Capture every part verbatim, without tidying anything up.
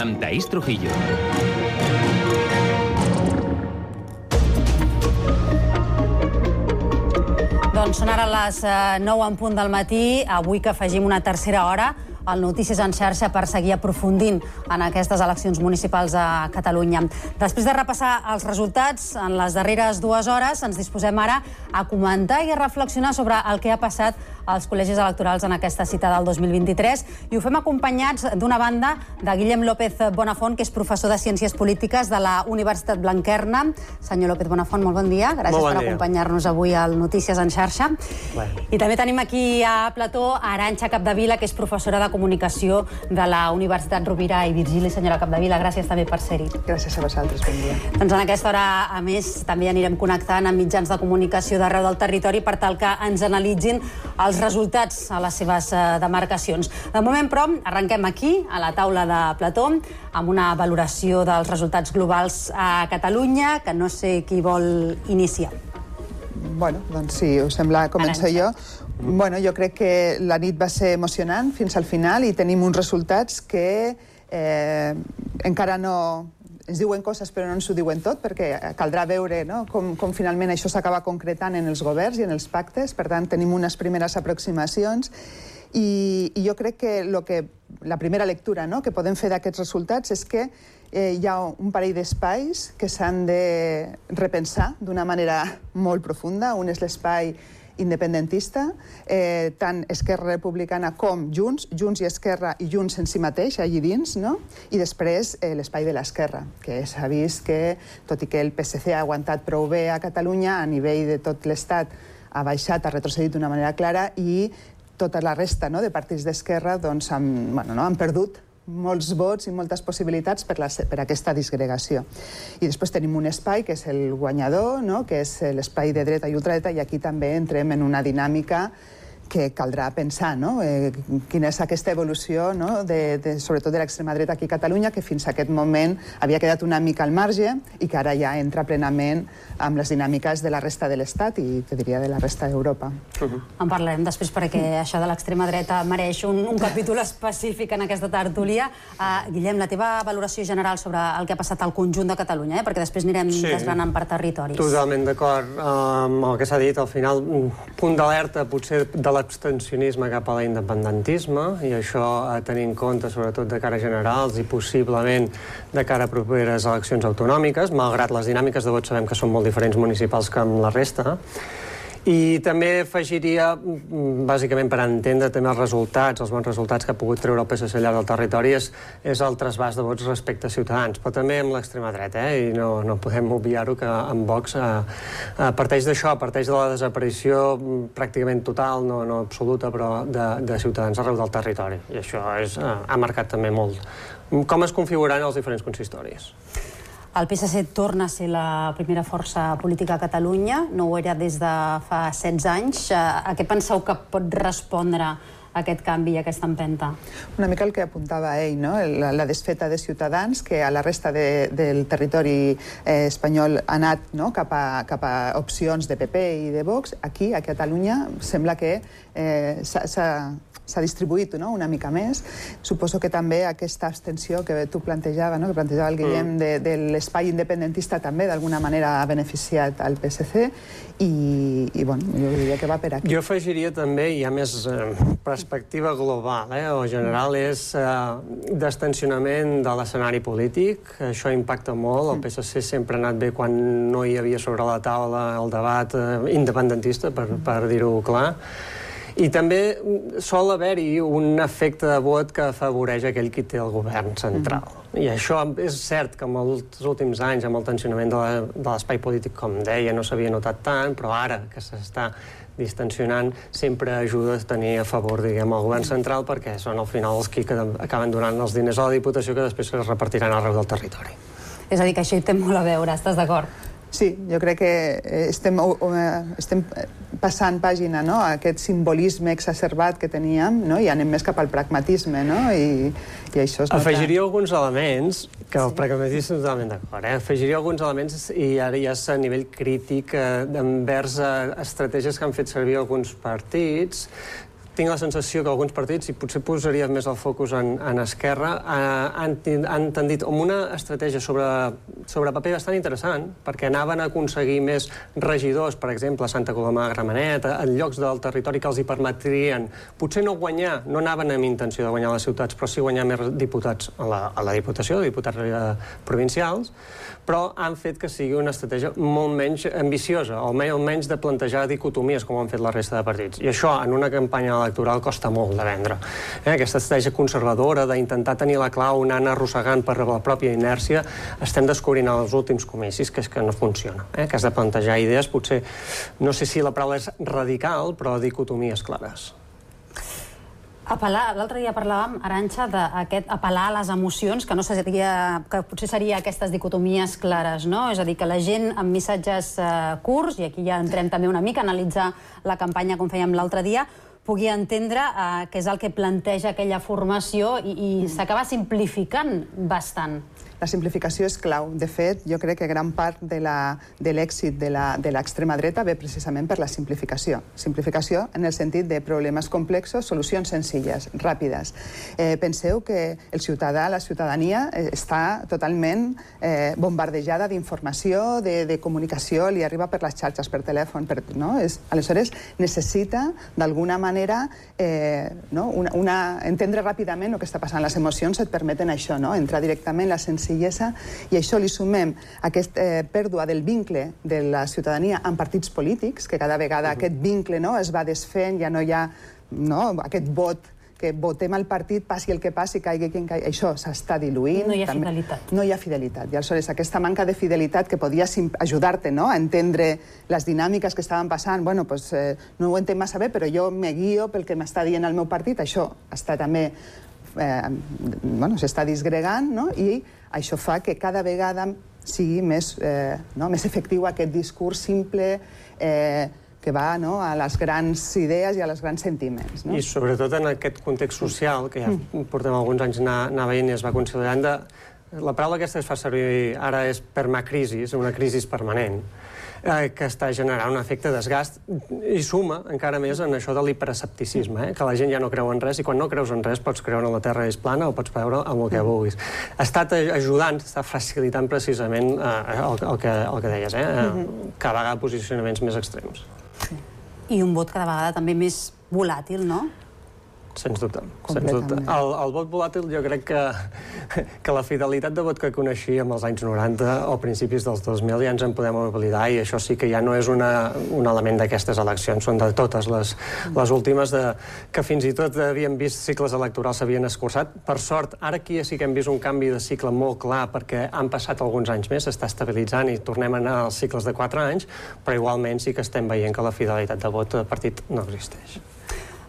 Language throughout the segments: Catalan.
amb Taís Trujillo. Doncs són ara les nou en punt del matí, avui que afegim una tercera hora al Notícies en xarxa per seguir aprofundint en aquestes eleccions municipals a Catalunya. Després de repassar els resultats en les darreres dues hores, ens disposem ara a comentar i a reflexionar sobre el que ha passat als col·legis electorals en aquesta cita del dos mil vint-i-tres, i ho fem acompanyats d'una banda de Guillem López Bonafont, que és professor de Ciències Polítiques de la Universitat Blanquerna. Senyor López Bonafont, molt bon dia. Gràcies bon per dia. acompanyar-nos avui al Notícies en xarxa. Bueno. I també tenim aquí a plató Arantxa Capdevila, que és professora de Comunicació de la Universitat Rovira i Virgili. Senyora Capdevila, gràcies també per ser-hi. Gràcies a vosaltres, bon dia. Doncs en aquesta hora, a més, també anirem connectant amb mitjans de comunicació d'arreu del territori per tal que ens analitzin els resultats a les seves demarcacions. De moment, però, arrenquem aquí, a la taula de plató, amb una valoració dels resultats globals a Catalunya, que no sé qui vol iniciar. Bueno, doncs si us sembla, començo jo. Bueno, jo crec que la nit va ser emocionant fins al final i tenim uns resultats que eh, encara no... Ens diuen coses però no ens ho diuen tot, perquè caldrà veure, no?, com, com finalment això s'acaba concretant en els governs i en els pactes. Per tant, tenim unes primeres aproximacions i, i jo crec que, lo que la primera lectura, no?, que podem fer d'aquests resultats és que eh, hi ha un parell d'espais que s'han de repensar d'una manera molt profunda. Un és l'espai independentista, eh, tant Esquerra Republicana com Junts, Junts i Esquerra i Junts en si mateix, allí dins, no? I després eh, l'espai de l'esquerra, que s'ha vist que, tot i que el P S C ha aguantat prou bé a Catalunya, a nivell de tot l'Estat ha baixat, ha retrocedit d'una manera clara, i tota la resta, no?, de partits d'esquerra doncs, han, bueno, no, han perdut molts vots i moltes possibilitats per, la, per aquesta disgregació. I després tenim un espai que és el guanyador, no?, que és l'espai de dreta i ultradreta, i aquí també entrem en una dinàmica que caldrà pensar, no?, eh, quina és aquesta evolució, no?, de, de, sobretot de l'extrema dreta aquí a Catalunya, que fins a aquest moment havia quedat una mica al marge i que ara ja entra plenament amb les dinàmiques de la resta de l'Estat i, te diria, de la resta d'Europa. Uh-huh. En parlarem després perquè això de l'extrema dreta mereix un, un capítol específic en aquesta tertúlia. Uh, Guillem, la teva valoració general sobre el que ha passat al conjunt de Catalunya, eh? Perquè després anirem sí, desgranant per territoris. Totalment d'acord amb el que s'ha dit. Al final, un punt d'alerta potser de l'abstencionisme cap a l'independentisme, i això a tenir en compte sobretot de cara a generals i possiblement de cara a properes eleccions autonòmiques, malgrat les dinàmiques de vot sabem que són molt diferents municipals que amb la resta. I també afegiria, bàsicament per entendre també els resultats, els bons resultats que ha pogut treure el P S C al llarg del territori, és, és el trasbàs de vots respecte a Ciutadans, però també amb l'extrema dreta, eh? I no, no podem obviar-ho que amb Vox eh, eh, parteix d'això, parteix de la desaparició pràcticament total, no, no absoluta, però de, de Ciutadans arreu del territori. I això és, eh, ha marcat també molt com es configuren els diferents consistoris. El P S C torna a ser la primera força política a Catalunya, no ho era des de fa setze anys. A què penseu que pot respondre aquest canvi i aquesta empenta? Una mica el que apuntava ell, no?, la, la desfeta de Ciutadans, que a la resta de, del territori eh, espanyol ha anat, no?, cap, a, cap a opcions de P P i de Vox. Aquí, a Catalunya, sembla que eh, s'ha s'ha distribuït, no?, una mica més. Suposo que també aquesta abstenció que tu plantejava, no?, que plantejava el Guillem, mm. de, de l'espai independentista també d'alguna manera ha beneficiat al P S C i, i bueno, jo diria que va per aquí. Jo afegiria també, hi ha més eh, perspectiva global, eh, o general, és eh, d'estensionament de l'escenari polític. Això impacta molt. El P S C sempre ha anat bé quan no hi havia sobre la taula el debat eh, independentista, per, per dir-ho clar. I també sol haver-hi un efecte de vot que afavoreix aquell qui té el govern central. Mm-hmm. I això és cert que en els últims anys, amb el tensionament de l'espai polític, com deia, no s'havia notat tant, però ara que s'està distensionant sempre ajuda a tenir a favor, diguem, el govern central, perquè són al final els que acaben donant els diners a la Diputació que després es repartiran arreu del territori. És a dir, que això hi té molt a veure, estàs d'acord? Sí, jo crec que estem, estem passant pàgina, no?, a aquest simbolisme exacerbat que teníem, no?, i anem més cap al pragmatisme, no?, i, i això es nota. Afegiria alguns elements, que el pragmatisme totalment d'acord, eh? Afegiria alguns elements, i ara ja és a nivell crític, eh, envers eh, estratègies que han fet servir alguns partits, tinc la sensació que alguns partits, i potser posaria més el focus en, en Esquerra, eh, han, han tendit amb una estratègia sobre, sobre paper bastant interessant, perquè anaven a aconseguir més regidors, per exemple, a Santa Coloma de Gramenet, en llocs del territori que els hi permetrien, potser no guanyar, no anaven amb intenció de guanyar les ciutats, però sí guanyar més diputats a la, a la Diputació, diputats eh, provincials, però han fet que sigui una estratègia molt menys ambiciosa, o almenys de plantejar dicotomies, com han fet la resta de partits. I això, en una campanya electoral, costa molt de vendre. Eh? Aquesta estratègia conservadora d'intentar tenir la clau anant arrossegant per la pròpia inèrcia, estem descobrint als últims comicis que és que no funciona, eh? Que has de plantejar idees, potser, no sé si la paraula és radical, però dicotomies clares. Apel·lar, l'altre dia parlàvem, Arantxa, d'aquest apel·lar a les emocions, que no seria, que potser seria aquestes dicotomies clares, no? És a dir, que la gent amb missatges eh, curts, i aquí ja entrem també una mica a analitzar la campanya com fèiem l'altre dia, pugui entendre eh, què és el que planteja aquella formació i, i s'acaba simplificant bastant. La simplificació és clau. De fet, jo crec que gran part de l'èxit de l'extrema dreta ve precisament per la simplificació. Simplificació en el sentit de problemes complexos, solucions senzilles, ràpides. Eh, penseu que el ciutadà, la ciutadania, eh, està totalment eh, bombardejada d'informació, de, de comunicació, li arriba per les xarxes, per telèfon, per, no? És, aleshores, necessita, d'alguna manera, eh, no? una, una, entendre ràpidament el que està passant. Les emocions et permeten això, no? Entrar directament en la senzillesa, i això li sumem aquesta eh, pèrdua del vincle de la ciutadania amb partits polítics, que cada vegada uh-huh. aquest vincle no, es va desfent, ja no hi ha no, aquest vot que votem al partit, passi el que passi, caigui quien caigui. Això s'està diluint. No hi ha també. fidelitat. No hi ha fidelitat. I aleshores aquesta manca de fidelitat que podia ajudar-te no, a entendre les dinàmiques que estaven passant, bueno, pues, eh, no ho entenc massa bé, però jo me guio pel que m'està dient el meu partit, això està també Eh, bueno, s'està disgregant, no? I això fa que cada vegada sigui més, eh, no? més efectiu aquest discurs simple eh, que va no? a les grans idees i a les grans sentiments. No? I sobretot en aquest context social, que ja mm. portem alguns anys anar, anar veient i es va considerant de... La paraula aquesta es fa servir ara és permacrisis, una crisi permanent, eh, que està generant un efecte desgast i suma encara més en això de l'hiperescepticisme, eh, que la gent ja no creu en res i quan no creus en res pots creure que la Terra és plana o pots creure en el que vulguis. Ha estat ajudant, està facilitant precisament eh, el, el, que, el que deies, eh, eh, cada vegada posicionaments més extrems. I un vot cada vegada també més volàtil, no? Sens dubte. Sens dubte. El, el vot volàtil jo crec que, que la fidelitat de vot que coneixíem als anys noranta o principis dels dos mil ja ens en podem oblidar i això sí que ja no és una, un element d'aquestes eleccions, són de totes les, les últimes de, que fins i tot havíem vist cicles electorals s'havien escurçat. Per sort, ara aquí sí que hem vist un canvi de cicle molt clar perquè han passat alguns anys més, s'està estabilitzant i tornem a anar als cicles de quatre anys, però igualment sí que estem veient que la fidelitat de vot del partit no existeix.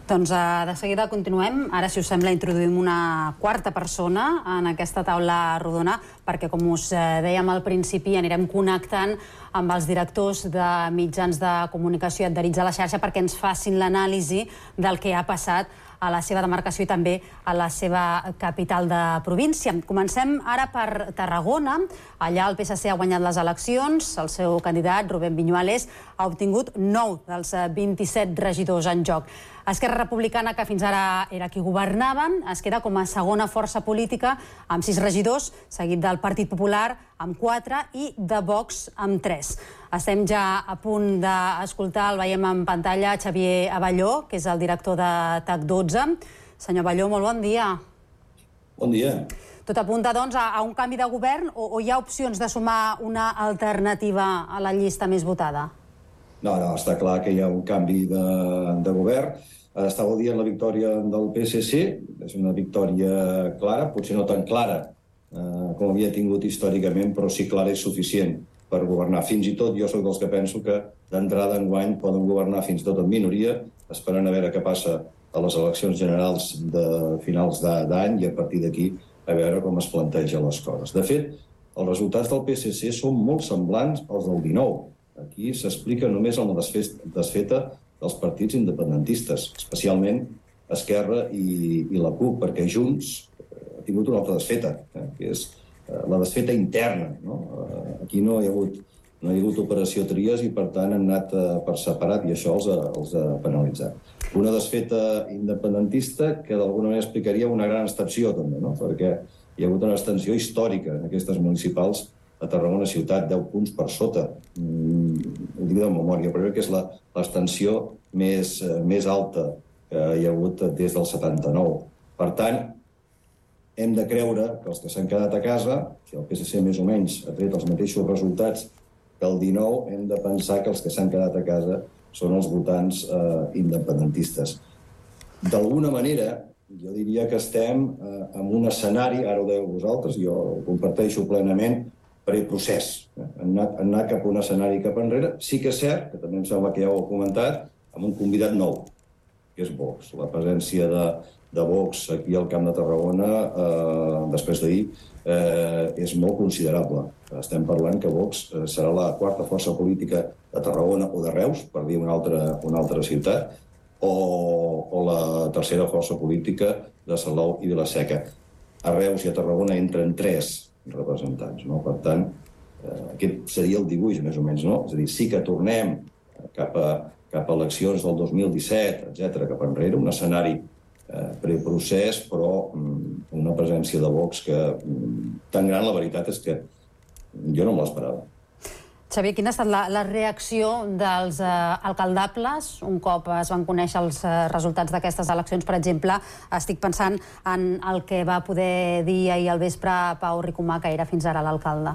Doncs de seguida continuem. Ara, si us sembla, introduïm una quarta persona en aquesta taula rodona, perquè, com us dèiem al principi, anirem connectant amb els directors de mitjans de comunicació adherits a la xarxa perquè ens facin l'anàlisi del que ha passat a la seva demarcació i també a la seva capital de província. Comencem ara per Tarragona. Allà el P S C ha guanyat les eleccions. El seu candidat, Rubén Viñuales, ha obtingut nou dels vint-i-set regidors en joc. Esquerra Republicana, que fins ara era qui governaven, es queda com a segona força política amb sis regidors, seguit del Partit Popular amb quatre i de Vox amb tres. Estem ja a punt d'escoltar, el veiem en pantalla, Xavier Abelló, que és el director de T A C dotze. Senyor Abelló, molt bon dia. Bon dia. Tot apunta, doncs, a un canvi de govern o hi ha opcions de sumar una alternativa a la llista més votada? No, no, està clar que hi ha un canvi de, de govern. Estava dient la victòria del P S C, és una victòria clara, potser no tan clara eh, com havia tingut històricament, però sí clara i suficient per governar. Fins i tot jo soc dels que penso que d'entrada enguany poden governar fins i tot en minoria, esperant a veure què passa a les eleccions generals de finals d'any i a partir d'aquí a veure com es plantegen les coses. De fet, els resultats del P S C són molt semblants als del dinou. Aquí s'explica només en la desfeta dels partits independentistes, especialment Esquerra i, i la CUP, perquè Junts ha tingut una altra desfeta, eh, que és eh, la desfeta interna. No? Eh, aquí no hi ha hagut, no hi ha hagut operació Tries i, per tant, han anat eh, per separat i això els ha, els ha penalitzat. Una desfeta independentista que d'alguna manera explicaria una gran abstenció, també, no? Perquè hi ha hagut una abstenció històrica en aquestes municipals a Tarragona ciutat, deu punts per sota. Mm, ho dic de memòria, però crec que és l'abstenció més, més alta que hi ha hagut des del setanta-nou. Per tant, hem de creure que els que s'han quedat a casa, si el P S C més o menys ha tret els mateixos resultats que el dinou, hem de pensar que els que s'han quedat a casa són els votants eh, independentistes. D'alguna manera, jo diria que estem eh, en un escenari, ara ho dèieu vosaltres, jo ho comparteixo plenament, per el procés. Han anat, han anat cap a un escenari cap enrere. Sí que és cert, que també em sembla que ja ho heu comentat, amb un convidat nou, que és Vox. La presència de, de Vox aquí al Camp de Tarragona, eh, després d'ahir, eh, és molt considerable. Estem parlant que Vox eh, serà la quarta força política de Tarragona o de Reus, per dir una altra, una altra ciutat, o, o la tercera força política de Salou i Vila-seca. A Reus i a Tarragona entren tres representants, no? Per tant, eh, aquest seria el dibuix, més o menys, no? És a dir, sí que tornem cap a, cap a eleccions del dos mil disset, etcètera, cap enrere, un escenari eh, preprocés, però mm, una presència de Vox que mm, tan gran, la veritat és que jo no me l'esperava. Xavier, quina ha estat la, la reacció dels eh, alcaldables un cop es van conèixer els eh, resultats d'aquestes eleccions? Per exemple, estic pensant en el que va poder dir ahir al vespre Pau Ricomà, que era fins ara l'alcalde.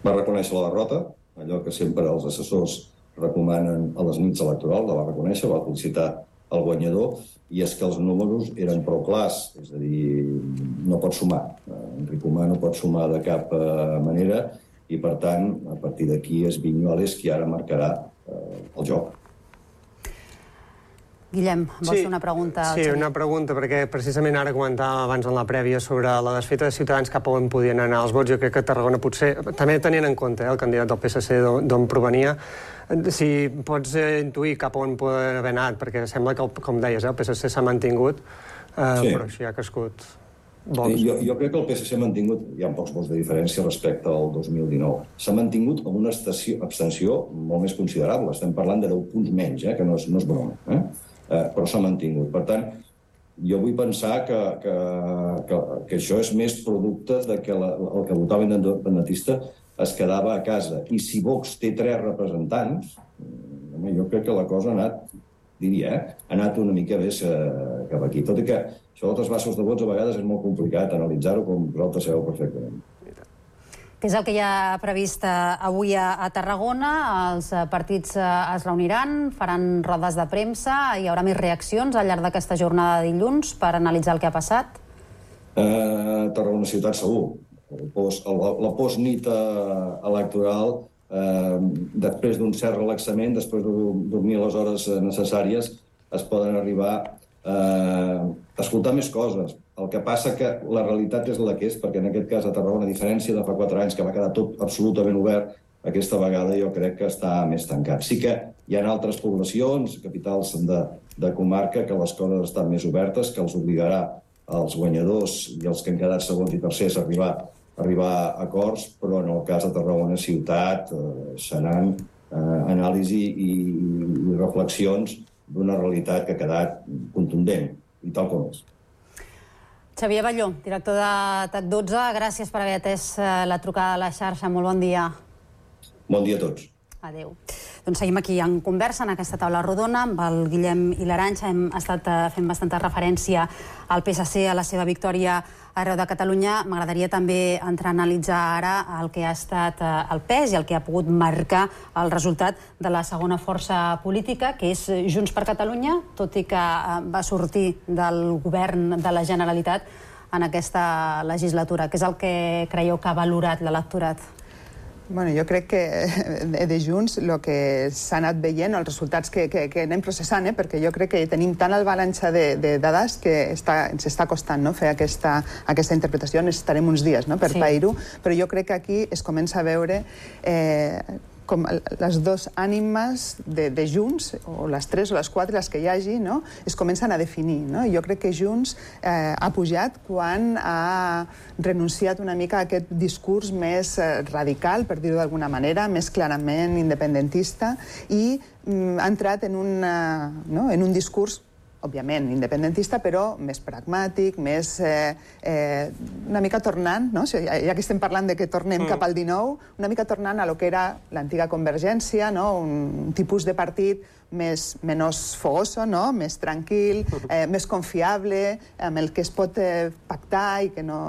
Va reconèixer la derrota, allò que sempre els assessors recomanen a les nits electorals, la va reconèixer, va felicitar el guanyador, i és que els números eren prou clars, és a dir, no pot sumar. En Ricomà no pot sumar de cap eh, manera, i, per tant, a partir d'aquí és Viñuales qui ara marcarà eh, el joc. Guillem, vols sí, fer una pregunta? Sí, una pregunta, perquè precisament ara comentàvem abans en la prèvia sobre la desfeta de Ciutadans cap a on podien anar els vots. Jo crec que Tarragona potser, també tenint en compte eh, el candidat del P S C d'on provenia, si pots eh, intuir cap a on poden haver anat, perquè sembla que, com deies, eh, el P S C s'ha mantingut, eh, sí. Però així ha crescut. Sí, jo, jo crec que el P S C ha mantingut, hi ha pocs vots de diferència respecte al dos mil dinou, s'ha mantingut amb una estació, abstenció molt més considerable. Estem parlant de deu punts menys, eh, que no és, no és broma, eh? Eh, però s'ha mantingut. Per tant, jo vull pensar que, que, que, que això és més producte de que la, el que votava independentista es quedava a casa. I si Vox té tres representants, jo crec que la cosa ha anat, diria, eh? ha anat una mica més eh, cap aquí. Tot i que això dels trasbassos de vots a vegades és molt complicat analitzar-ho, com vosaltres sabeu perfectament. Què és el que hi ha previst avui a Tarragona? Els partits es reuniran, faran rodes de premsa, hi haurà més reaccions al llarg d'aquesta jornada de dilluns per analitzar el que ha passat? Eh, Tarragona ciutat segur. El post, el, la postnit electoral, eh, després d'un cert relaxament, després de dormir les hores necessàries, es poden arribar eh, a escoltar més coses. El que passa que la realitat és la que és, perquè en aquest cas a Tarragona, a diferència de fa quatre anys, que va quedar tot absolutament obert, aquesta vegada jo crec que està més tancat. Sí que hi ha altres poblacions, capitals de, de comarca, que les coses estan més obertes, que els obligarà als guanyadors i els que han quedat segons i tercers a arribar, a arribar a acords, però en el cas de Tarragona ciutat eh, seran eh, anàlisi i, i reflexions d'una realitat que ha quedat contundent, i tal com és. Xavier Balló, director de T A C dotze, gràcies per haver atès la trucada a la xarxa. Molt bon dia. Bon dia a tots. Adéu. Doncs seguim aquí en conversa, en aquesta taula rodona, amb el Guillem i l'Arantxa. Hem estat fent bastanta referència al P S C, a la seva victòria arreu de Catalunya. M'agradaria també entrar a analitzar ara el que ha estat el pes i el que ha pogut marcar el resultat de la segona força política, que és Junts per Catalunya, tot i que va sortir del govern de la Generalitat en aquesta legislatura. Què és el que creieu que ha valorat l'electorat? Bueno, jo crec que de Junts el que s'ha anat veient, els resultats que, que, que anem processant, eh? Perquè jo crec que tenim tant avalanxa de, de dades que està, ens està costant, no? fer aquesta, aquesta interpretació. Necessitarem uns dies, no? per sí. pair-ho, però jo crec que aquí es comença a veure eh, com les dues ànimes de, de Junts, o les tres o les quatre, les que hi hagi, no? Es comencen a definir. No? Jo crec que Junts eh, ha pujat quan ha renunciat una mica a aquest discurs més eh, radical, per dir-ho d'alguna manera, més clarament independentista, i mm, ha entrat en, una, no? en un discurs òbviament, independentista, però més pragmàtic, més eh, eh, una mica tornant, no? ja, ja que estem parlant de que tornem mm. cap al dinou, una mica tornant a lo que era l'antiga Convergència, no? Un tipus de partit més, menys fogoso, no? Més tranquil, eh, més confiable, amb el que es pot eh, pactar i que no...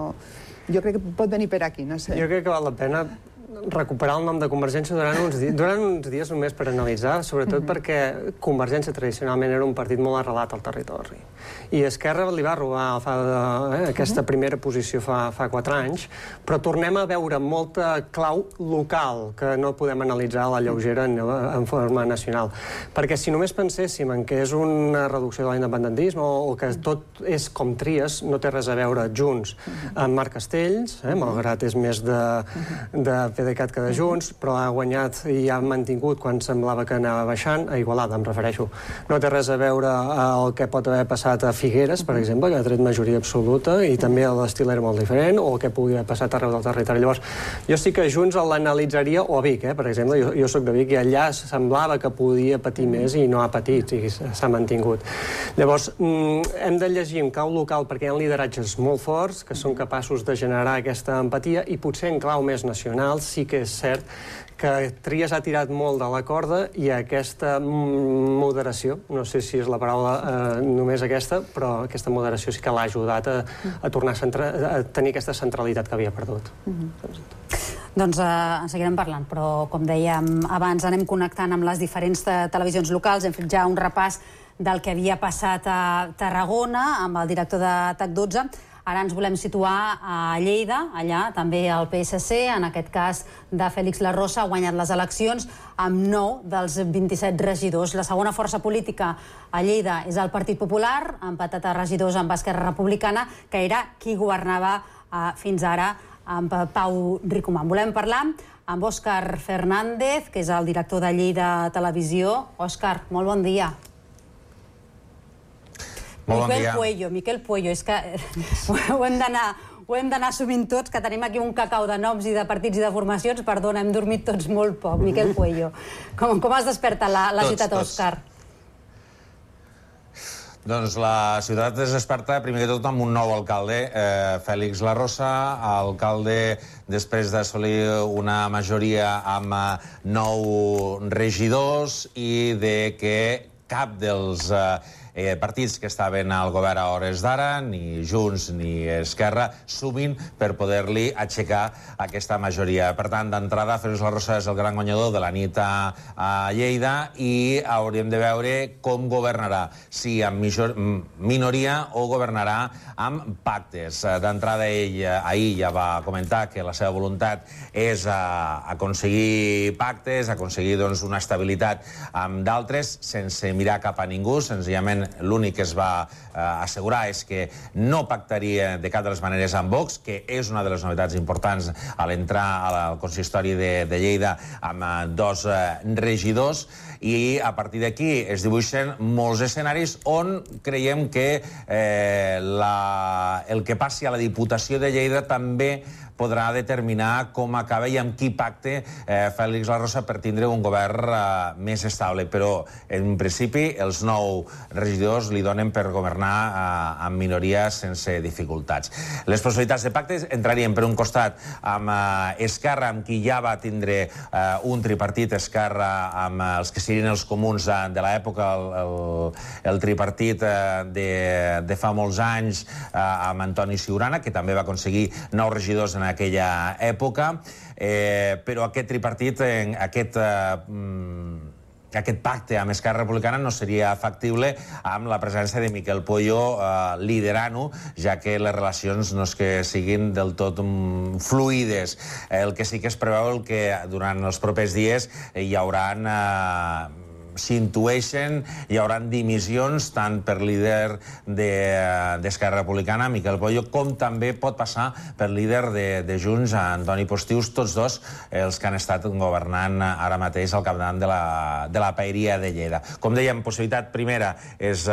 Jo crec que pot venir per aquí, no sé. Jo crec que val la pena recuperar el nom de Convergència durant uns, di durant uns dies només per analitzar, sobretot mm-hmm. perquè Convergència tradicionalment era un partit molt arrelat al territori. I Esquerra li va robar fa, eh, aquesta primera posició fa, fa quatre anys, però tornem a veure molta clau local que no podem analitzar a la lleugera en, en forma nacional. Perquè si només penséssim en que és una reducció de l'independentisme o, o que tot és com tries, no té res a veure Junts amb Marc Castells, eh, malgrat és més de, de PDeCAT que de Junts, però ha guanyat i ha mantingut quan semblava que anava baixant, a Igualada, em refereixo. No té res a veure el que pot haver passat a Figueres, per exemple, que ha tret majoria absoluta, i també l'estil era molt diferent, o el que pugui haver passat arreu del territori. Llavors, jo sí que Junts l'analitzaria, o a Vic, eh, per exemple, jo, jo soc de Vic, i allà semblava que podia patir més i no ha patit, i s'ha mantingut. Llavors, hem de llegir en clau local perquè hi ha lideratges molt forts que són capaços de generar aquesta empatia, i potser en clau més nacional sí que és cert que Trias ha tirat molt de la corda i aquesta moderació, no sé si és la paraula eh, només aquesta, però aquesta moderació sí que l'ha ajudat a, a tornar a, centra, a tenir aquesta centralitat que havia perdut. Mm-hmm. Doncs eh, en seguirem parlant, però com dèiem abans anem connectant amb les diferents te televisions locals, hem fet ja un repàs del que havia passat a Tarragona amb el director de T A C dotze. Ara ens volem situar a Lleida, allà també el P S C, en aquest cas de Félix La Rosa, ha guanyat les eleccions amb nou dels vint-i-set regidors. La segona força política a Lleida és el Partit Popular, empatat a regidors amb Esquerra Republicana, que era qui governava eh, fins ara amb Pau Ricomà. Volem parlar amb Òscar Fernández, que és el director de Lleida Televisió. Òscar, molt bon dia. Miquel Puello, Miquel Puello, és que ho hem d'anar ho hem d'anar assumint tots, que tenim aquí un cacau de noms i de partits i de formacions. Perdona, hem dormit tots molt poc. Miquel Puello, com, com es desperta la, la tots, ciutat, tots. Òscar? Doncs la ciutat es desperta, primer que tot, amb un nou alcalde, eh, Félix La Rosa, alcalde després d'assolir una majoria amb nou regidors i de que cap dels eh, Eh, partits que estaven al govern a hores d'ara, ni Junts ni Esquerra, sumin per poder-li aixecar aquesta majoria. Per tant, d'entrada, Félix La Rosa és el gran guanyador de la nit a, a Lleida i hauríem de veure com governarà, si amb major, minoria o governarà amb pactes. D'entrada, ell ahir ja va comentar que la seva voluntat és a, aconseguir pactes, aconseguir doncs, una estabilitat amb d'altres, sense mirar cap a ningú, senzillament l'únic que es va eh, assegurar és que no pactaria de cap de les maneres amb Vox, que és una de les novetats importants a l'entrar al consistori de, de Lleida amb eh, dos eh, regidors, i a partir d'aquí es dibuixen molts escenaris on creiem que eh, la, el que passi a la Diputació de Lleida també podrà determinar com acaba i amb qui pacte eh, Félix La Rosa per tindre un govern eh, més estable. Però, en principi, els nou regidors li donen per governar eh, amb minoria sense dificultats. Les possibilitats de pacte entrarien, per un costat, amb eh, Esquerra, amb qui ja va tindre eh, un tripartit, Esquerra, amb eh, els que serien els comuns de, de l'època, el, el, el tripartit eh, de, de fa molts anys, eh, amb Antoni Ciurana, que també va aconseguir nou regidors en aquella època, eh, però aquest tripartit, eh, aquest, eh, aquest pacte amb Esquerra Republicana no seria factible amb la presència de Miquel Puello eh, liderant-ho, ja que les relacions no és que siguin del tot um, fluides. El que sí que es preveu el que durant els propers dies eh, hi haurà eh, s'intueixen, hi haurà dimissions tant per líder d'Esquerra Republicana, Miquel Pollo, com també pot passar per líder de Junts, Antoni Postius, tots dos els que han estat governant ara mateix al capdavant de la paeria de Lleida. Com dèiem, possibilitat primera és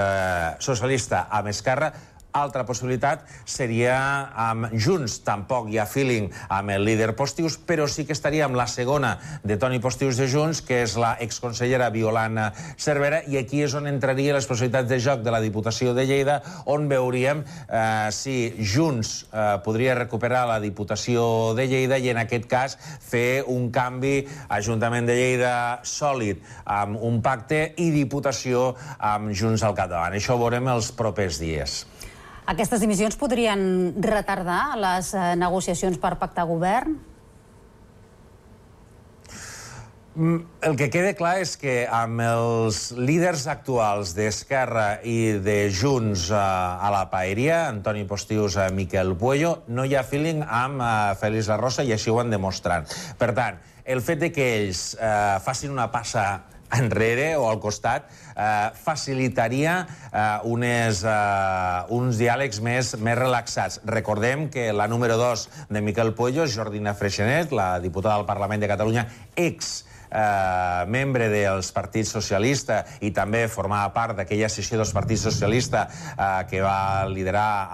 socialista amb Esquerra. Altra possibilitat seria amb Junts. Tampoc hi ha feeling amb el líder Postius, però sí que estaria amb la segona de Toni Postius de Junts, que és la exconsellera Violant Cervera, i aquí és on entraria les possibilitats de joc de la Diputació de Lleida, on veuríem si Junts podria recuperar la Diputació de Lleida i en aquest cas fer un canvi Ajuntament de Lleida sòlid amb un pacte i Diputació amb Junts al capdavant. Això ho veurem els propers dies. Aquestes dimissions podrien retardar les negociacions per pactar govern? El que queda clar és que amb els líders actuals d'Esquerra i de Junts a la paeria, Antoni Postius, Miquel Puello, no hi ha feeling amb Félix La Rosa i així ho han demostrat. Per tant, el fet que ells facin una passa enrere o al costat facilitaria uns diàlegs més relaxats. Recordem que la número dos de Miquel Puello és Jordina Freixenet, la diputada del Parlament de Catalunya, ex membre dels partits socialista i també formava part d'aquella sessió dels partits socialista que va liderar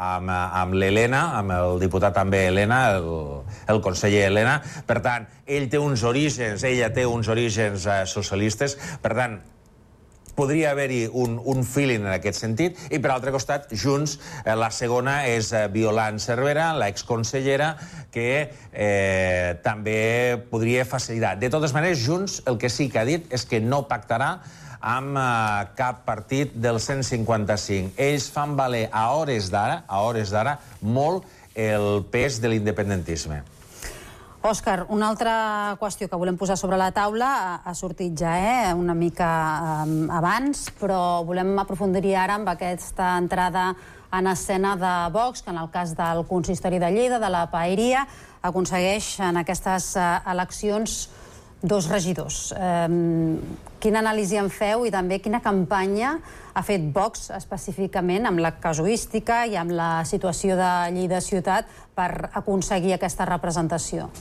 amb l'Helena, amb el diputat també Helena, el conseller Helena. Per tant, ell té uns orígens, ella té uns orígens socialistes, per tant, podria haver-hi un feeling en aquest sentit, i per altre costat, Junts, la segona és Violant Cervera, l'exconsellera, que també podria facilitar. De totes maneres, Junts el que sí que ha dit és que no pactarà amb cap partit del cent cinquanta cinc. Ells fan valer a hores d'ara, a hores d'ara, molt el pes de l'independentisme. Òscar, una altra qüestió que volem posar sobre la taula ha sortit ja una mica abans, però volem aprofundir ara amb aquesta entrada en escena de Vox, que en el cas del consistori de Lleida, de la paeria, aconsegueix en aquestes eleccions dos regidors. Quina anàlisi en feu i també quina campanya ha fet Vox específicament amb la casuística i amb la situació de Lleida ciutat per aconseguir aquesta representació?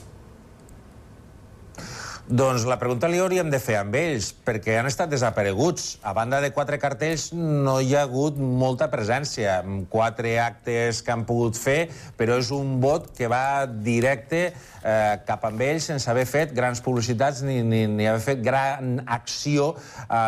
Doncs la pregunta li hauríem de fer amb ells, perquè han estat desapareguts. A banda de quatre cartells no hi ha hagut molta presència. Quatre actes que han pogut fer, però és un vot que va directe cap amb ells sense haver fet grans publicitats ni haver fet gran acció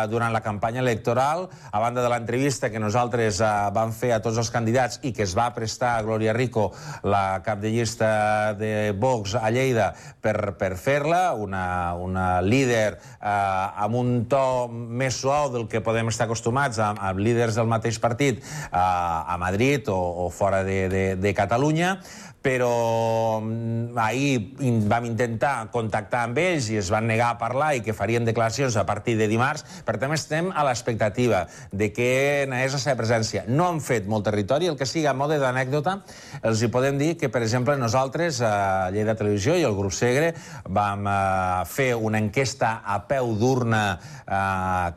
durant la campanya electoral. A banda de l'entrevista que nosaltres vam fer a tots els candidats i que es va prestar a Glòria Rico, la cap de llista de Vox a Lleida, per fer-la, una líder amb un to més suau del que podem estar acostumats amb líders del mateix partit a Madrid o fora de Catalunya, però ahir vam intentar contactar amb ells i es van negar a parlar i que farien declaracions a partir de dimarts. Per tant, estem a l'expectativa de què és la seva presència. No han fet molt territori, el que sigui a mode d'anècdota, els hi podem dir que, per exemple, nosaltres, a Lleida Televisió i el grup Segre, vam fer una enquesta a peu d'urna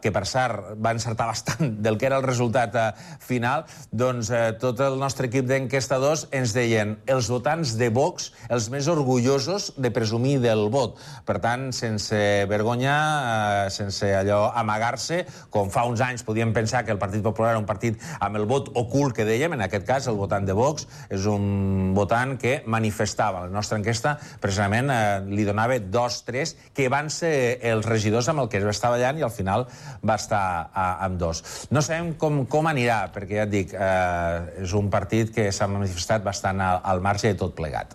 que, per cert, va encertar bastant del que era el resultat final. Doncs tot el nostre equip d'enquestadors ens deien els votants de Vox els més orgullosos de presumir del vot. Per tant, sense vergonya, sense allò amagar-se, com fa uns anys podíem pensar que el Partit Popular era un partit amb el vot ocult que dèiem, en aquest cas el votant de Vox és un votant que manifestava. La nostra enquesta precisament li donava dos, tres, que van ser els regidors amb el que es va estar ballant i al final va estar amb dos. No sabem com anirà, perquè ja et dic, és un partit que s'ha manifestat bastant al marge de tot plegat.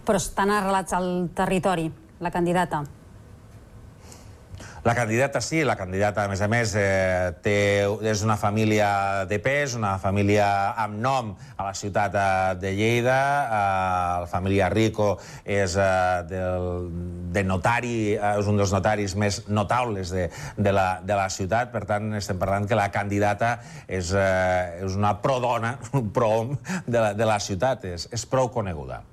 Però estan arrelats al territori, la candidata? La candidata sí, la candidata, a més a més, és una família de pes, una família amb nom a la ciutat de Lleida. La família Rico és de notari, és un dels notaris més notables de la ciutat. Per tant, estem parlant que la candidata és una prodona, un prohom de la ciutat, és prou coneguda.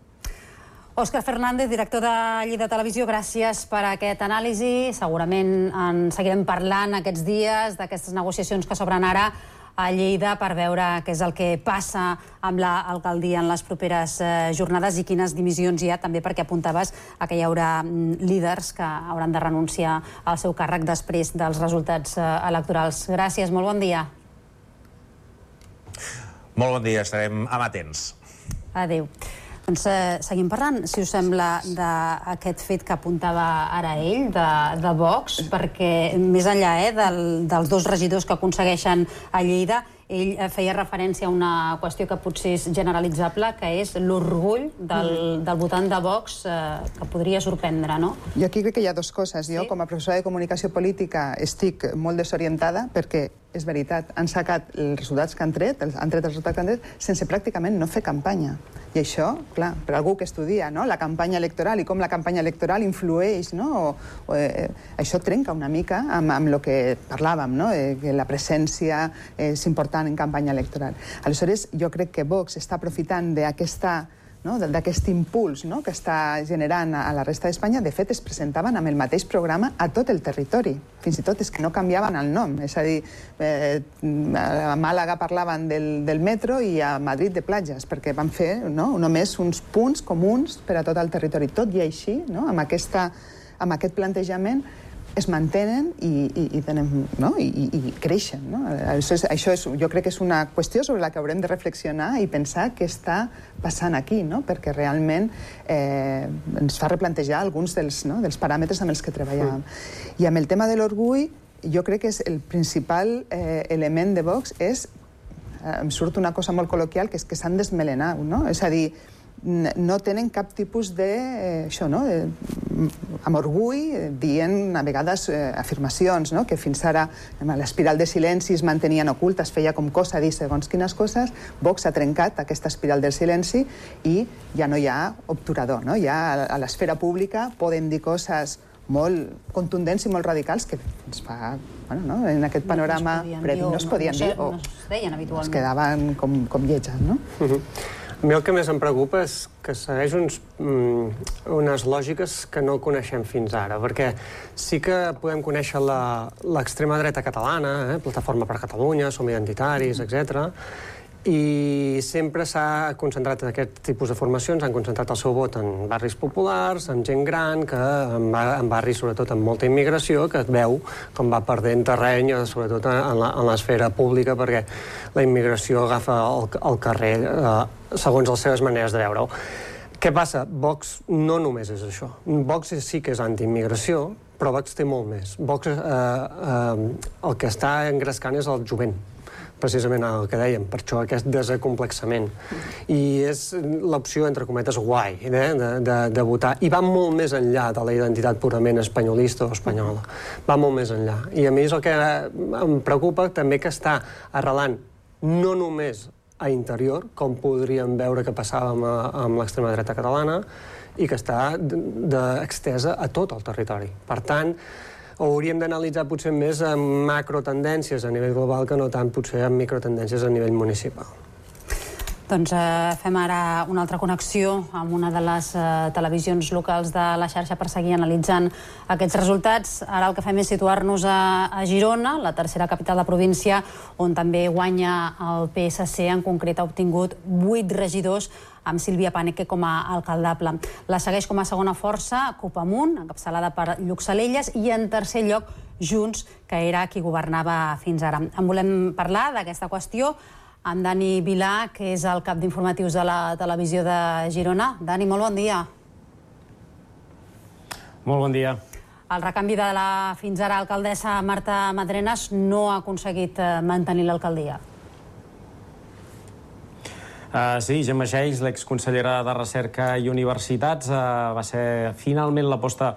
Òscar Fernández, director de Lleida Televisió, gràcies per aquest anàlisi. Segurament en seguirem parlant aquests dies d'aquestes negociacions que s'obren ara a Lleida per veure què és el que passa amb l'alcaldia en les properes jornades i quines dimissions hi ha, també perquè apuntaves que hi haurà líders que hauran de renunciar al seu càrrec després dels resultats electorals. Gràcies, molt bon dia. Molt bon dia, estarem amatents. Adéu. Doncs seguim parlant, si us sembla, d'aquest fet que apuntava ara ell, de Vox, perquè més enllà dels dos regidors que aconsegueixen a Lleida, ell feia referència a una qüestió que potser és generalitzable, que és l'orgull del votant de Vox, que podria sorprendre, no? Jo aquí crec que hi ha dues coses. Jo, com a professora de comunicació política, estic molt desorientada perquè, és veritat, han sacat els resultats que han tret, han tret els resultats que han tret, sense pràcticament no fer campanya. I això, clar, per algú que estudia la campanya electoral i com la campanya electoral influeix, això trenca una mica amb el que parlàvem, que la presència és important en campanya electoral. Aleshores, jo crec que Vox està aprofitant d'aquesta d'aquest impuls que està generant a la resta d'Espanya. De fet, es presentaven amb el mateix programa a tot el territori. Fins i tot és que no canviaven el nom. És a dir, a Màlaga parlaven del metro i a Madrid de platges, perquè van fer només uns punts comuns per a tot el territori. Tot i així, amb aquest plantejament, es mantenen i creixen. Això jo crec que és una qüestió sobre la que haurem de reflexionar i pensar què està passant aquí, perquè realment ens fa replantejar alguns dels paràmetres amb els que treballàvem. I amb el tema de l'orgull, jo crec que el principal element de Vox és, em surt una cosa molt col·loquial, que és que s'han desmelenat, és a dir, no tenen cap tipus de, això, no?, amb orgull, dient a vegades afirmacions, que fins ara l'espiral de silenci es mantenien oculta, es feia com cosa dir segons quines coses. Vox ha trencat aquesta espiral del silenci i ja no hi ha obturador, no? Ja a l'esfera pública poden dir coses molt contundents i molt radicals que ens fa, en aquest panorama previ, no es podien dir o es quedaven com lletges, no? A mi el que més em preocupa és que segueix unes lògiques que no coneixem fins ara, perquè sí que podem conèixer l'extrema dreta catalana, Plataforma per Catalunya, Som Identitaris, etcètera, i sempre s'ha concentrat en aquest tipus de formacions, han concentrat el seu vot en barris populars, en gent gran, en barris sobretot amb molta immigració, que es veu com va perdent terreny, sobretot en l'esfera pública, perquè la immigració agafa el carrer segons les seves maneres de veure-ho. Què passa? Vox no només és això. Vox sí que és anti-immigració, però Vox té molt més. Vox el que està engrescant és el jovent, precisament el que dèiem, per això aquest desacomplexament. I és l'opció, entre cometes, guai, de votar. I va molt més enllà de la identitat purament espanyolista o espanyola. Va molt més enllà. I a mi és el que em preocupa també, que està arrelant no només a interior, com podríem veure que passava amb l'extrema dreta catalana, i que està extesa a tot el territori. Per tant, hauríem d'analitzar potser més amb macrotendències a nivell global que no tant potser amb microtendències a nivell municipal. Doncs fem ara una altra connexió amb una de les televisions locals de la xarxa per seguir analitzant aquests resultats. Ara el que fem és situar-nos a Girona, la tercera capital de província, on també guanya el P S C, en concret ha obtingut vuit regidors, amb Sílvia Paneque com a alcaldable. La segueix com a segona força Copamunt, encapçalada per Lluc Salelles, i en tercer lloc Junts, que era qui governava fins ara. En volem parlar d'aquesta qüestió amb Dani Vilà, que és el cap d'informatius de la televisió de Girona. Dani, molt bon dia. Molt bon dia. El recanvi de la fins ara alcaldessa Marta Madrenas no ha aconseguit mantenir l'alcaldia. Sí, Gemma Geis, l'exconsellera de Recerca i Universitats, va ser finalment l'aposta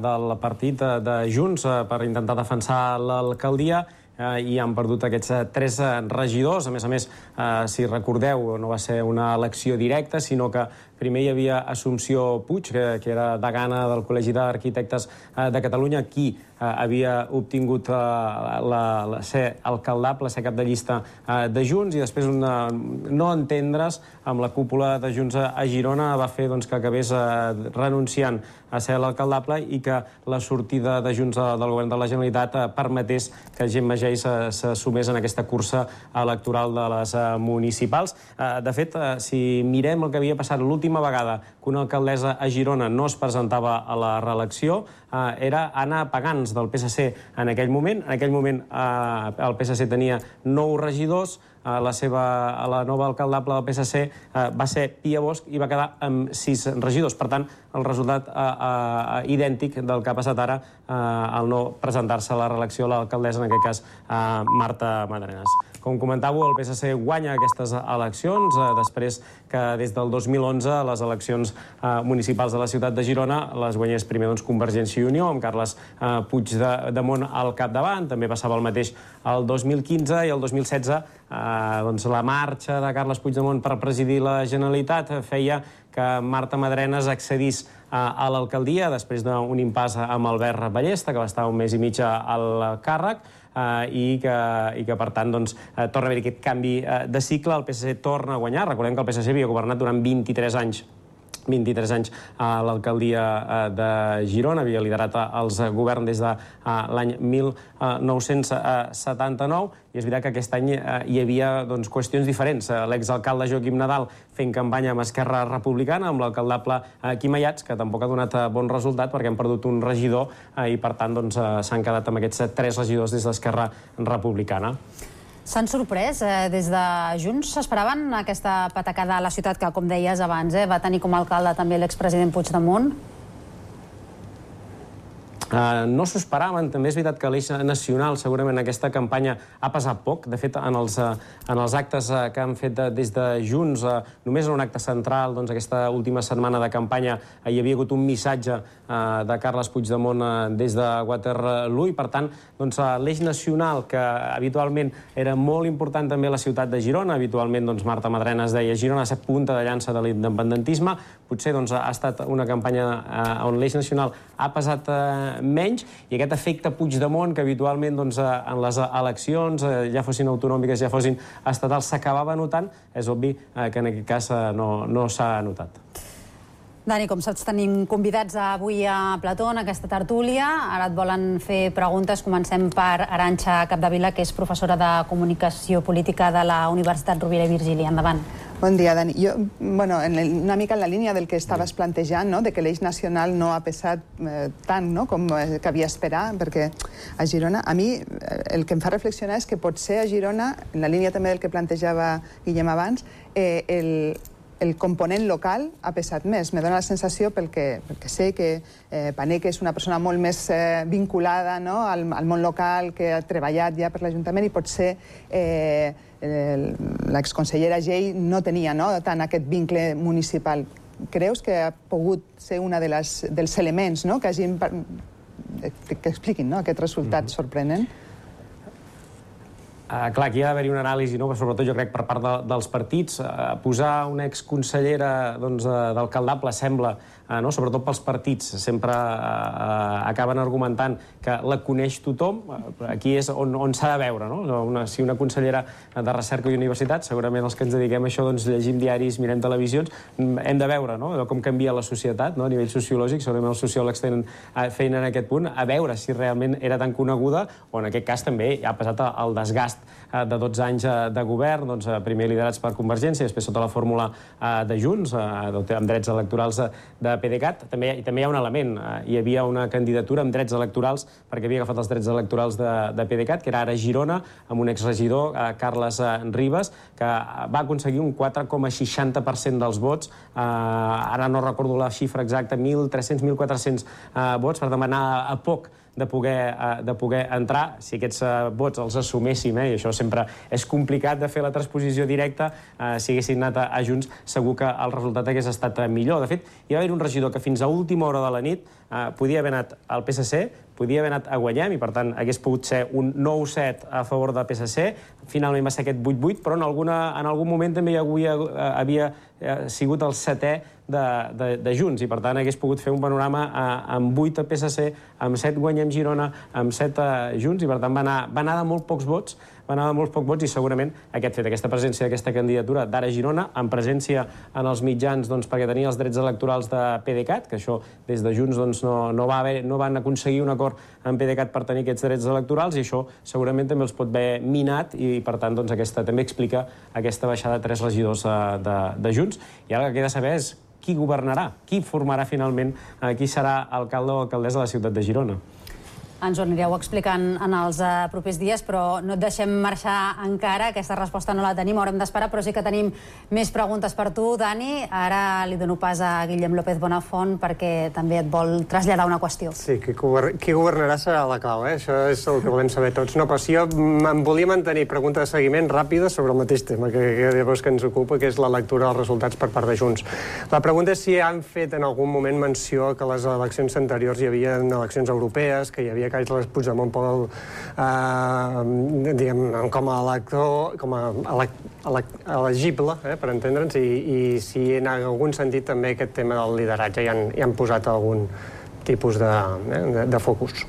del partit de Junts per intentar defensar l'alcaldia, i han perdut aquests tres regidors. A més a més, si recordeu, no va ser una elecció directa, sinó que Primer hi havia Assumpció Puig, que era degana del Col·legi d'Arquitectes de Catalunya, qui havia obtingut ser alcaldable, ser cap de llista de Junts, i després un no entendre's amb la cúpula de Junts a Girona va fer que acabés renunciant a ser l'alcaldable i que la sortida de Junts del govern de la Generalitat permetés que Gemma Geis se sumés en aquesta cursa electoral de les municipals. De fet, si mirem el que havia passat l'última vegada que una alcaldessa a Girona no es presentava a la reelecció, era Anna Pagans, del P S C en aquell moment. En aquell moment el P S C tenia nou regidors, la seva, la nova alcaldable del P S C va ser Pia Bosch i va quedar amb sis regidors. Per tant, el resultat idèntic del que ha passat ara al no presentar-se a la reelecció l'alcaldessa, en aquest cas Marta Madrenas. Com comentàveu, el P S C guanya aquestes eleccions després que des del dos mil onze les eleccions municipals de la ciutat de Girona les guanyés primer Convergència i Unió, amb Carles Puigdemont al capdavant. També passava el mateix el dos mil quinze i el dos mil setze la marxa de Carles Puigdemont per presidir la Generalitat feia que Marta Madrenas accedís a l'alcaldia després d'un impàs amb Albert Ballesta, que va estar un mes i mig al càrrec, i que, per tant, torna a haver aquest canvi de cicle. El P S C torna a guanyar. Recordem que el P S C havia governat durant vint-i-tres anys vint-i-tres anys a l'alcaldia de Girona, havia liderat els governs des de l'any mil nou-cents setanta-nou, i és veritat que aquest any hi havia qüestions diferents. L'exalcalde Joaquim Nadal fent campanya amb Esquerra Republicana, amb l'alcaldable Quim Ayats, que tampoc ha donat bon resultat perquè han perdut un regidor i, per tant, s'han quedat amb aquests tres regidors des d'Esquerra Republicana. S'han sorprès des de Junts? S'esperaven aquesta patacada a la ciutat que, com deies abans, va tenir com a alcalde també l'expresident Puigdemont? No s'ho esperaven. També és veritat que l'eix nacional segurament aquesta campanya ha pesat poc. De fet, en els actes que han fet des de Junts, només en un acte central, aquesta última setmana de campanya, hi havia hagut un missatge de Carles Puigdemont des de Waterloo i, per tant, l'eix nacional, que habitualment era molt important també a la ciutat de Girona, habitualment Marta Madrenas deia Girona ha estat punta de llança de l'independentisme, potser ha estat una campanya on l'eix nacional ha pesat menys, i aquest efecte Puigdemont, que habitualment en les eleccions, ja fossin autonòmiques, ja fossin estatals, s'acabava notant, és obvi que en aquest cas no s'ha notat. Dani, com saps, tenim convidats avui a Plató, en aquesta tertúlia. Ara et volen fer preguntes. Comencem per Arantxa Capdevila, que és professora de Comunicació Política de la Universitat Rovira i Virgili. Endavant. Bon dia, Dani. Jo, bueno, una mica en la línia del que estaves plantejant, de que l'eix nacional no ha pesat tant com cabia esperar, perquè a Girona, a mi el que em fa reflexionar és que potser a Girona, en la línia també del que plantejava Guillem abans, el el component local ha pesat més. Me dóna la sensació, pel que sé, que Paneque és una persona molt més vinculada al món local, que ha treballat ja per l'Ajuntament, i potser l'exconsellera Gei no tenia tant aquest vincle municipal. Creus que ha pogut ser un dels elements que hagin... que expliquin aquest resultat sorprenent? Clar, aquí ha d'haver-hi una anàlisi, sobretot jo crec per part dels partits. Posar una exconsellera d'alcaldable sembla, sobretot pels partits, sempre acaben argumentant que la coneix tothom. Aquí és on s'ha de veure. Si una consellera de Recerca i Universitat, segurament els que ens dediquem a això llegim diaris, mirem televisions, hem de veure com canvia la societat a nivell sociològic. Segurament els sociòlegs tenen feina en aquest punt, a veure si realment era tan coneguda, o en aquest cas també ha passat el desgast de dotze anys de govern, primer liderats per Convergència, després sota la fórmula de Junts, amb drets electorals de PDeCAT. I també hi ha un element. Hi havia una candidatura amb drets electorals, perquè havia agafat els drets electorals de PDeCAT, que era ara Girona, amb un exregidor, Carles Ribas, que va aconseguir un quatre coma seixanta per cent dels vots. Ara no recordo la xifra exacta, mil tres-cents, mil quatre-cents vots, per demanar a poc de poder entrar. Si aquests vots els assuméssim, i això sempre és complicat de fer la transposició directa, si haguessin anat a Junts, segur que el resultat hagués estat millor. De fet, hi va haver un regidor que fins a última hora de la nit podia haver anat al P S C, podia haver anat a Guanyem, i per tant hagués pogut ser un nou set a favor del P S C. Finalment va ser aquest vuit vuit, però en algun moment també havia sigut el setè de, de, de Junts, i per tant hagués pogut fer un panorama amb vuit a P S C, amb set Guanyem Girona, amb set a Junts, i per tant va anar, va anar de molt pocs vots, va anar de molts pocs vots, i segurament aquest fet, aquesta presència d'aquesta candidatura d'Ara Girona, amb presència en els mitjans, doncs, perquè tenia els drets electorals de PDeCAT, que això des de Junts doncs, no, no, va haver, no van aconseguir un acord amb PDeCAT per tenir aquests drets electorals, i això segurament també els pot haver minat, i per tant doncs, aquesta també explica aquesta baixada de tres regidors de, de Junts. I ara el que queda saber és qui governarà, qui formarà finalment, qui serà alcalde o alcaldessa de la ciutat de Girona. Ens ho anireu explicant en els uh, propers dies, però no et deixem marxar encara. Aquesta resposta no la tenim, haurem d'esperar, però sí que tenim més preguntes per tu, Dani. Ara li dono pas a Guillem López Bonafont perquè també et vol traslladar una qüestió. Sí, qui, govern qui governarà serà la clau, eh? Això és el que volem saber tots. No, però si jo em volia mantenir pregunta de seguiment ràpida sobre el mateix tema que, que llavors que ens ocupa, que és la lectura dels resultats per part de Junts. La pregunta és si han fet en algun moment menció que a les eleccions anteriors hi havia eleccions europees, que hi havia Carles Puigdemont Pol, eh, diguem, com a elector, com a elegible, eh, per entendre'ns, i, i si en algun sentit també aquest tema del lideratge hi han, hi han posat algun tipus de, eh, de, de focus.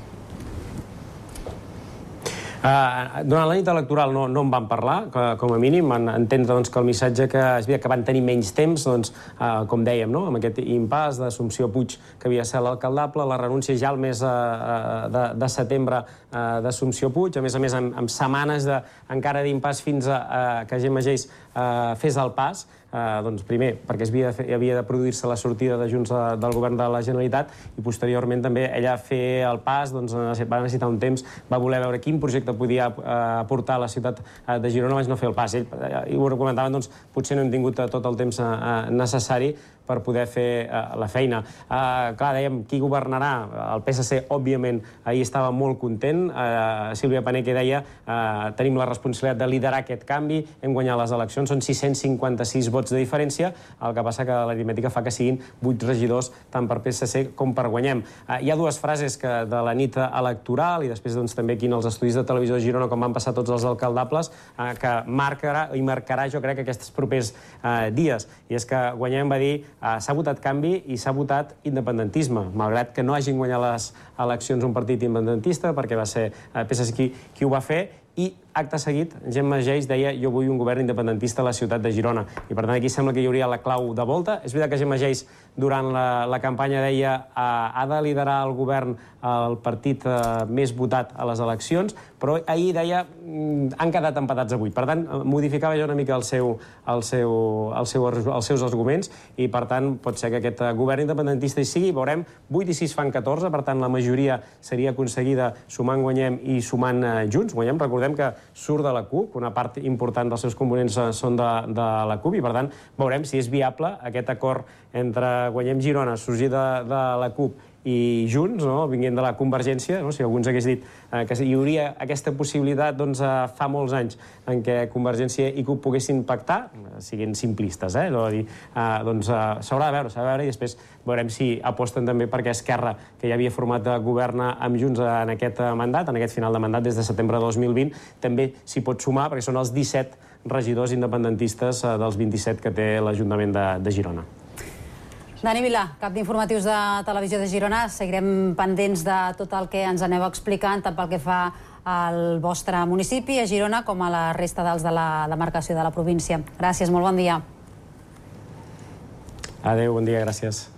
Uh, durant la nit electoral no, no en van parlar, que, com a mínim, van entendre doncs, que el missatge que es veia que van tenir menys temps, doncs, uh, com dèiem, no? Amb aquest impàs d'Assumpció Puig, que havia de ser l'alcaldable, la renúncia ja al mes uh, de, de setembre uh, d'Assumpció Puig, a més a més amb, amb setmanes de, encara d'impàs fins a uh, que Gemma Geis uh, fes el pas. Uh, doncs primer, perquè havia de, havia de produir-se la sortida de Junts de, del govern de la Generalitat, i posteriorment també ella fer el pas, doncs va necessitar un temps, va voler veure quin projecte podia uh, aportar a la ciutat uh, de Girona abans no fer el pas. Ell, uh, i ho comentaven, doncs potser no hem tingut uh, tot el temps uh, necessari per poder fer uh, la feina. Uh, clar, dèiem, qui governarà? El P S C, òbviament, ahir estava molt content. Uh, Sílvia Paneque deia uh, tenim la responsabilitat de liderar aquest canvi, hem guanyat les eleccions, són sis-cents cinquanta-sis vots de diferència, el que passa que l'aritmètica fa que siguin vuit regidors tant per P S C com per Guanyem. Uh, hi ha dues frases que de la nit electoral, i després doncs, també aquí en els estudis de Televisió de Girona, com van passar tots els alcaldables, uh, que marcarà, i marcarà, jo crec, aquests propers uh, dies. I és que Guanyem va dir Uh, s'ha votat canvi i s'ha votat independentisme, malgrat que no hagin guanyat les eleccions un partit independentista, perquè va ser uh, P S C qui, qui ho va fer, i acte seguit, Gemma Geis deia jo vull un govern independentista a la ciutat de Girona. I per tant aquí sembla que hi hauria la clau de volta. És veritat que Gemma Geis durant la, la campanya deia eh, ha de liderar el govern el partit eh, més votat a les eleccions, però ahir deia mm, han quedat empatats a vuit. Per tant, modificava ja una mica el seu, el seu, el seu, els seus arguments, i per tant pot ser que aquest govern independentista hi sigui. Veurem, vuit i sis fan catorze, per tant la majoria seria aconseguida sumant Guanyem i sumant eh, Junts. Guanyem, recordem que surt de la CUP, una part important dels seus components són de, de la CUP, i per tant veurem si és viable aquest acord entre Guanyem Girona, sorgir de, de la CUP i Junts, no? Vinguent de la Convergència, no? Si algú ens hagués dit eh, que hi hauria aquesta possibilitat doncs, eh, fa molts anys en què Convergència i CUP poguessin pactar, eh, siguin simplistes, eh? No? Dir, eh, doncs eh, s'haurà de veure, s'ha de veure, i després veurem si aposten també perquè Esquerra, que ja havia format de govern amb Junts en aquest mandat, en aquest final de mandat des de setembre de dos mil vint, també s'hi pot sumar, perquè són els disset regidors independentistes eh, dels vint-i-set que té l'Ajuntament de, de Girona. Dani Vilà, cap d'informatius de Televisió de Girona. Seguirem pendents de tot el que ens aneu explicant, tant pel que fa al vostre municipi, a Girona, com a la resta dels de la demarcació de la província. Gràcies, molt bon dia. Adéu, bon dia, gràcies.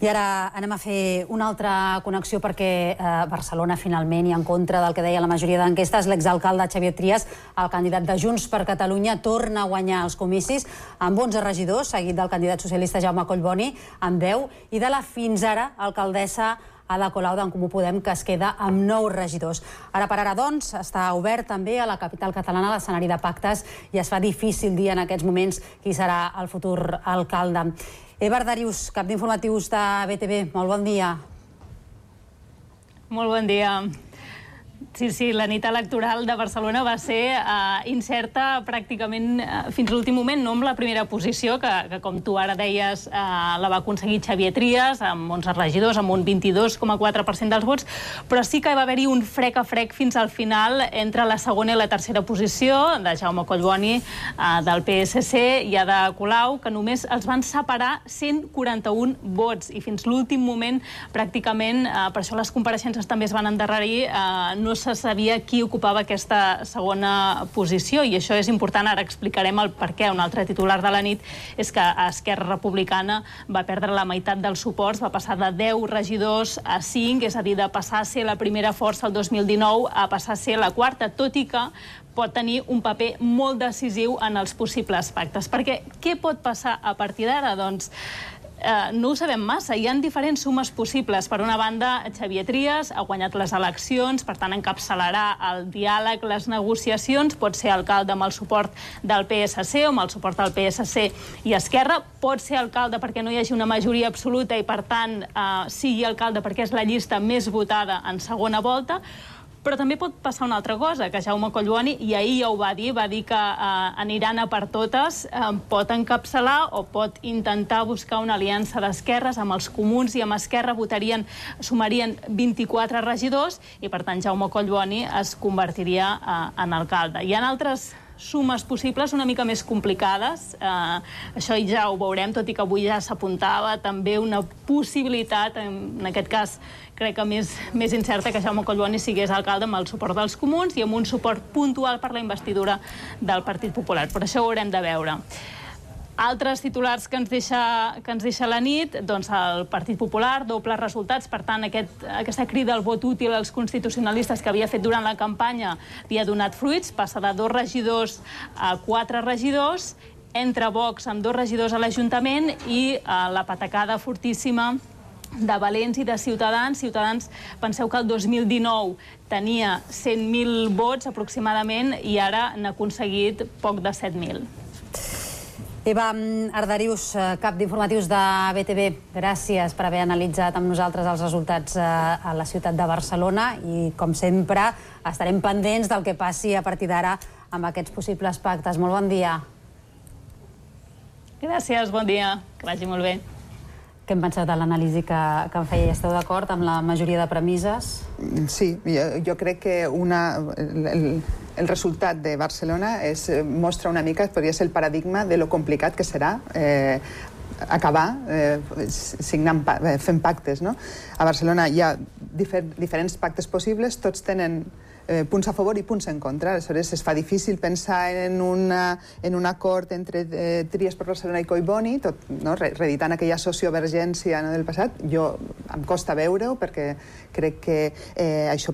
I ara anem a fer una altra connexió perquè eh, Barcelona finalment, i en contra del que deia la majoria d'enquestes, l'exalcalde Xavier Trias, el candidat de Junts per Catalunya, torna a guanyar els comicis amb onze regidors, seguit del candidat socialista Jaume Collboni amb deu, i de la fins ara alcaldessa Ada Colau d'en Comú Podem, que es queda amb nou regidors. Ara per ara, doncs, està obert també a la capital catalana l'escenari de pactes i es fa difícil dir en aquests moments qui serà el futur alcalde. Eber Darius, cap d'informatius de B T V, molt bon dia. Molt bon dia. Sí, sí, la nit electoral de Barcelona va ser uh, incerta pràcticament uh, fins a l'últim moment, no amb la primera posició, que, que com tu ara deies, uh, la va aconseguir Xavier Trias, amb onze regidors, amb un vint-i-dos coma quatre per cent dels vots, però sí que va haver-hi un frec a frec fins al final entre la segona i la tercera posició, de Jaume Collboni, uh, del P S C, i Ada Colau, que només els van separar cent quaranta-un vots, i fins l'últim moment, pràcticament, uh, per això les compareixences també es van endarrerir, uh, no se sabia qui ocupava aquesta segona posició, i això és important, ara explicarem el per què. Un altre titular de la nit és que Esquerra Republicana va perdre la meitat dels suports, va passar de deu regidors a cinc, és a dir, de passar a ser la primera força el dos mil dinou a passar a ser la quarta, tot i que pot tenir un paper molt decisiu en els possibles pactes. Perquè què pot passar a partir d'ara? Doncs Uh, no ho sabem massa. Hi ha diferents sumes possibles. Per una banda, Xavier Trias ha guanyat les eleccions, per tant encapçalarà el diàleg, les negociacions, pot ser alcalde amb el suport del P S C o amb el suport del P S C i Esquerra, pot ser alcalde perquè no hi hagi una majoria absoluta i, per tant, uh, sigui alcalde perquè és la llista més votada en segona volta. Però també pot passar una altra cosa, que Jaume Collboni, i ahir ja ho va dir, va dir que eh, aniran a per totes, eh, pot encapçalar o pot intentar buscar una aliança d'esquerres amb els comuns, i amb Esquerra votarien, sumarien vint-i-quatre regidors, i per tant Jaume Collboni es convertiria eh, en alcalde. Hi ha altres sumes possibles una mica més complicades. Eh, això ja ho veurem, tot i que avui ja s'apuntava també una possibilitat, en, en aquest cas crec que més, més incerta, que Jaume Collboni sigués alcalde amb el suport dels comuns i amb un suport puntual per la investidura del Partit Popular. Però això ho haurem de veure. Altres titulars que ens deixa, que ens deixa la nit, doncs el Partit Popular, dobles resultats, per tant aquest, aquesta crida al vot útil als constitucionalistes que havia fet durant la campanya li ha donat fruits, passa de dos regidors a quatre regidors, entre Vox amb dos regidors a l'Ajuntament i eh, la patacada fortíssima de Valents i de Ciutadans. Ciutadans, penseu que el dos mil dinou tenia cent mil vots aproximadament i ara n'ha aconseguit poc de set mil. Eva Arderius, cap d'informatius de B T V, gràcies per haver analitzat amb nosaltres els resultats a la ciutat de Barcelona i, com sempre, estarem pendents del que passi a partir d'ara amb aquests possibles pactes. Molt bon dia. Gràcies, bon dia. Que vagi molt bé. Què hem pensat de l'anàlisi que, que em feia? Esteu d'acord amb la majoria de premisses? Sí, jo, jo crec que una, el, el resultat de Barcelona és, mostra una mica, podria ser el paradigma de lo complicat que serà eh, acabar eh, signant, fent pactes, no? A Barcelona hi ha difer, diferents pactes possibles, tots tenen Eh, punts a favor i punts en contra. Aleshores, es fa difícil pensar en, una, en un acord entre eh, Trias per Barcelona i Collboni, tot, no, reeditant aquella sociovergència, no, del passat. Jo em costa veure-ho perquè crec que eh, això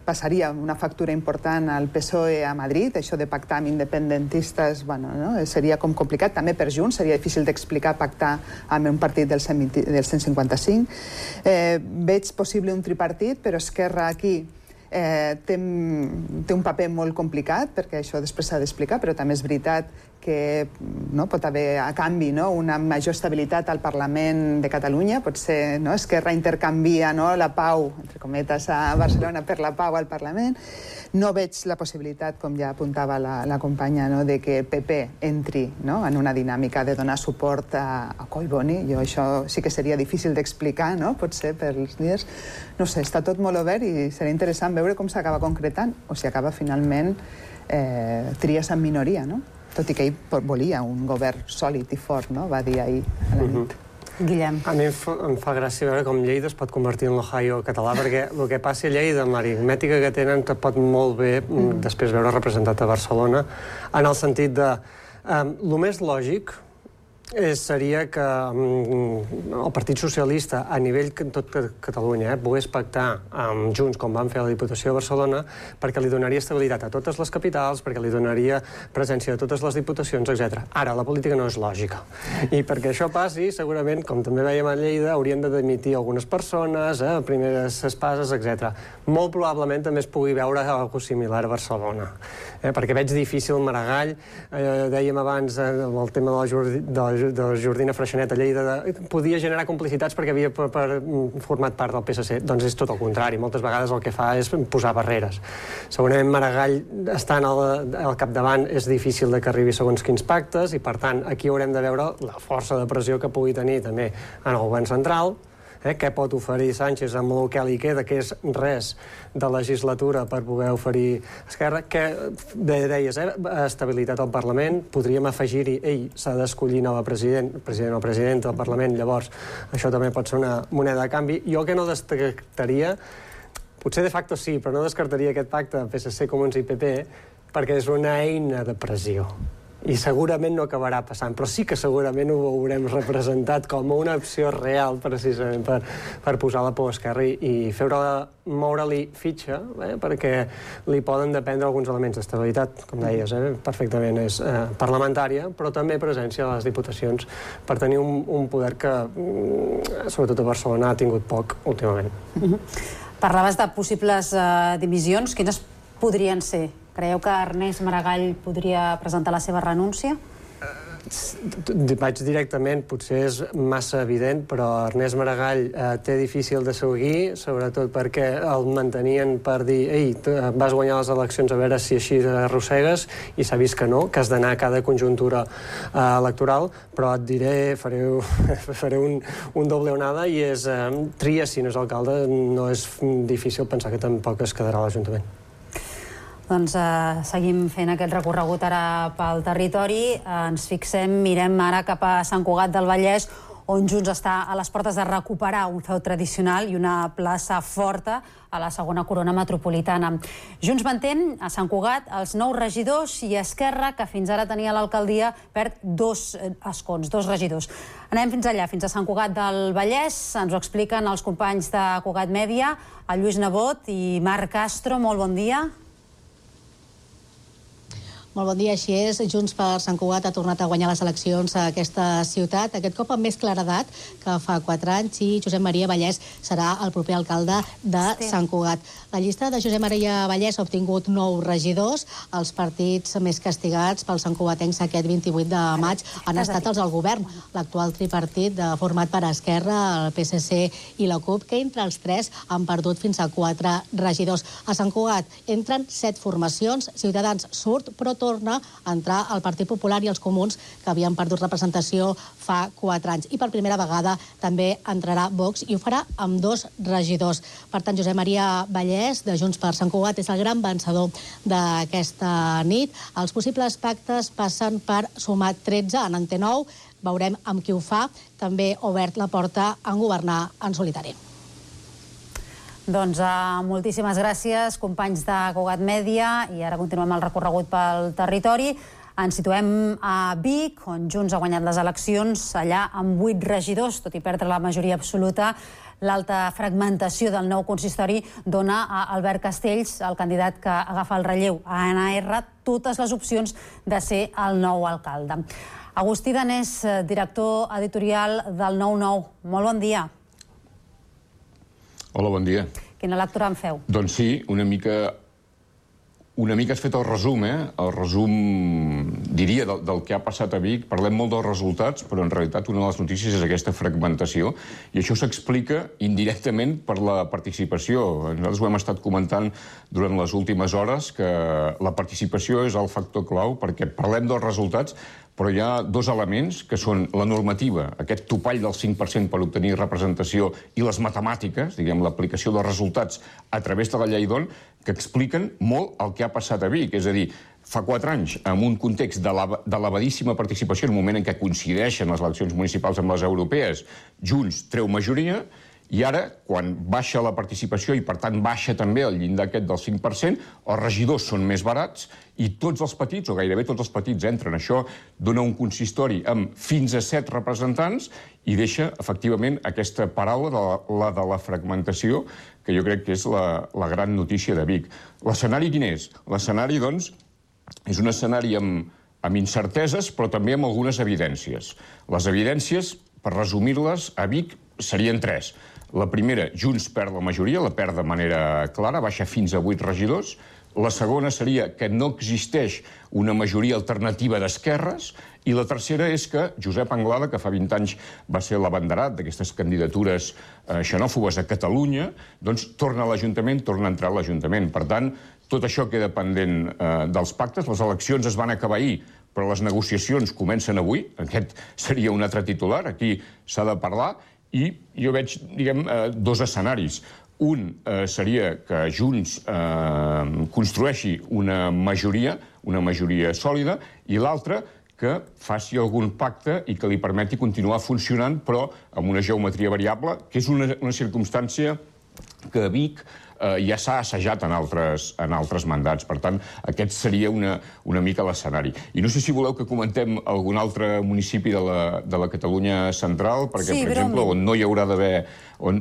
passaria una factura important al P S O E a Madrid, això de pactar amb independentistes, bueno, no? Seria com complicat, també per Junts, seria difícil d'explicar pactar amb un partit del cent cinquanta-cinc. Eh, veig possible un tripartit, però Esquerra aquí Eh, té, té un paper molt complicat, perquè això després s'ha d'explicar, però també és veritat que no, pot haver a canvi, no, una major estabilitat al Parlament de Catalunya. Potser, no, Esquerra intercanvia, no, la pau, entre cometes, a Barcelona per la pau al Parlament. No veig la possibilitat, com ja apuntava la, la companya, no, de que P P entri, no, en una dinàmica de donar suport a, a Collboni. Jo això sí que seria difícil d'explicar, no, potser per els dies. No sé, està tot molt obert i serà interessant veure com s'acaba concretant o si acaba finalment eh, Trias en minoria, no? Tot i que ell volia un govern sòlid i fort, no? Va dir ahir a la nit. Uh-huh. Guillem. A mi em fa, em fa gràcia veure com Lleida es pot convertir en l'Ohio català, perquè el que passi a Lleida, amb l'aritmètica que tenen, te pot molt bé mm. després veure representat a Barcelona, en el sentit de... Um, el més lògic és, seria que um, el Partit Socialista, a nivell en tot Catalunya, eh, pogués pactar amb Junts, com van fer a la Diputació de Barcelona, perquè li donaria estabilitat a totes les capitals, perquè li donaria presència de totes les diputacions, etcètera. Ara, la política no és lògica. I perquè això passi, segurament, com també veiem a Lleida, haurien de dimitir algunes persones, eh, primeres espases, etcètera. Molt probablement també es pugui veure alguna cosa similar a Barcelona. Eh, perquè veig difícil Maragall, eh, dèiem abans, eh, el tema de la, de la de Jordina Freixanet a Lleida podia generar complicitats perquè havia format part del P S C. Doncs és tot el contrari. Moltes vegades el que fa és posar barreres. Segurament Maragall, estant al capdavant, és difícil que arribi segons quins pactes i, per tant, aquí haurem de veure la força de pressió que pugui tenir també en el govern central. Què pot oferir Sánchez amb el que li queda, que és res de legislatura per poder oferir Esquerra? Que, bé deies, estabilitat al Parlament, podríem afegir-hi, ell s'ha d'escollir nou president, president o presidenta del Parlament, llavors això també pot ser una moneda de canvi. Jo que no descartaria, potser de facto sí, però no descartaria aquest pacte P S C, Comuns i P P, perquè és una eina de pressió. I segurament no acabarà passant, però sí que segurament ho veurem representat com una opció real, precisament, per, per posar la por a Esquerra i moure-li fitxa, eh, perquè li poden dependre alguns elements d'estabilitat, com deies, eh, perfectament és eh, parlamentària, però també presència a les diputacions per tenir un, un poder que, sobretot a Barcelona, ha tingut poc últimament. Mm-hmm. Parlaves de possibles eh, dimissions. Quines podrien ser? Creieu que Ernest Maragall podria presentar la seva renúncia? Vaig directament, potser és massa evident, però Ernest Maragall eh, té difícil de seguir, sobretot perquè el mantenien per dir ei, vas guanyar les eleccions a veure si així arrossegues, i s'ha vist que no, que has d'anar a cada conjuntura eh, electoral, però et diré, faré, faré un, un doble onada, i és eh, tria si no és alcalde, no és difícil pensar que tampoc es quedarà a l'Ajuntament. Doncs eh, seguim fent aquest recorregut ara pel territori. Eh, ens fixem, mirem ara cap a Sant Cugat del Vallès, on Junts està a les portes de recuperar un feu tradicional i una plaça forta a la segona corona metropolitana. Junts mantén a Sant Cugat els nous regidors i Esquerra, que fins ara tenia l'alcaldia, perd dos escons, dos regidors. Anem fins allà, fins a Sant Cugat del Vallès. Ens ho expliquen els companys de Cugat Mèdia, el Lluís Nebot i Marc Castro. Molt bon dia. Molt bon dia, així és. Junts per Sant Cugat ha tornat a guanyar les eleccions a aquesta ciutat, aquest cop amb més claredat que fa quatre anys, i Josep Maria Vallès serà el proper alcalde de Sant Cugat. La llista de Josep Maria Vallès ha obtingut nou regidors. Els partits més castigats pels santcugatencs aquest vint-i-vuit de maig han estat els del govern, l'actual tripartit format per Esquerra, el P S C i la CUP, que entre els tres han perdut fins a quatre regidors. A Sant Cugat entren set formacions, Ciutadans surt, però torna a entrar el Partit Popular i els Comuns, que havien perdut representació fa quatre anys. I per primera vegada també entrarà Vox, i ho farà amb dos regidors. Per tant, Josep Maria Vallès, de Junts per Sant Cugat, és el gran vencedor d'aquesta nit. Els possibles pactes passen per sumar tretze en Ante nou. Veurem amb qui ho fa. També ha obert la porta a governar en solitari. Doncs uh, moltíssimes gràcies, companys de Cugat Mèdia, i ara continuem el recorregut pel territori. Ens situem a Vic, on Junts ha guanyat les eleccions, allà amb vuit regidors, tot i perdre la majoria absoluta. L'alta fragmentació del nou consistori dona a Albert Castells, el candidat que agafa el relleu a N R, totes les opcions de ser el nou alcalde. Agustí Danés, director editorial del nou nou. Molt bon dia. Hola, bon dia. Quina lectura en feu? Doncs sí, una mica... Una mica has fet el resum, eh? El resum, diria, del, del que ha passat a Vic. Parlem molt dels resultats, però en realitat una de les notícies és aquesta fragmentació, i això s'explica indirectament per la participació. Nosaltres ho hem estat comentant durant les últimes hores, que la participació és el factor clau, perquè parlem dels resultats, però hi ha dos elements, que són la normativa, aquest topall del cinc per cent per obtenir representació, i les matemàtiques, diguem, l'aplicació dels resultats a través de la llei d'On, que expliquen molt el que ha passat a Vic. És a dir, fa quatre anys, en un context d'elevadíssima participació, en un moment en què coincideixen les eleccions municipals amb les europees, Junts treu majoria, i ara, quan baixa la participació i, per tant, baixa també el llindar aquest del cinc per cent, els regidors són més barats i tots els petits, o gairebé tots els petits, entren. Això dona un consistori amb fins a set representants i deixa, efectivament, aquesta paraula, de la, la de la fragmentació, que jo crec que és la, la gran notícia de Vic. L'escenari quin és? L'escenari, doncs, és un escenari amb, amb incerteses, però també amb algunes evidències. Les evidències, per resumir-les, a Vic serien tres. La primera, Junts perd la majoria, la perd de manera clara, baixa fins a vuit regidors. La segona seria que no existeix una majoria alternativa d'esquerres, i la tercera és que Josep Anglada, que fa vint anys va ser l'abanderat d'aquestes candidatures xenòfobes a Catalunya, doncs torna a l'Ajuntament, torna a entrar a l'Ajuntament. Per tant, tot això queda pendent dels pactes. Les eleccions es van acabar ahir, però les negociacions comencen avui. Aquest seria un altre titular. Aquí s'ha de parlar. I jo veig, diguem, dos escenaris. Un seria que Junts construeixi una majoria, una majoria sòlida, i l'altre que faci algun pacte i que li permeti continuar funcionant, però amb una geometria variable, que és una, una circumstància que a Vic eh, ja s'ha assajat en altres, en altres mandats. Per tant, aquest seria una, una mica l'escenari. I no sé si voleu que comentem algun altre municipi de la, de la Catalunya central, perquè, sí, per exemple, on no hi haurà d'haver... On,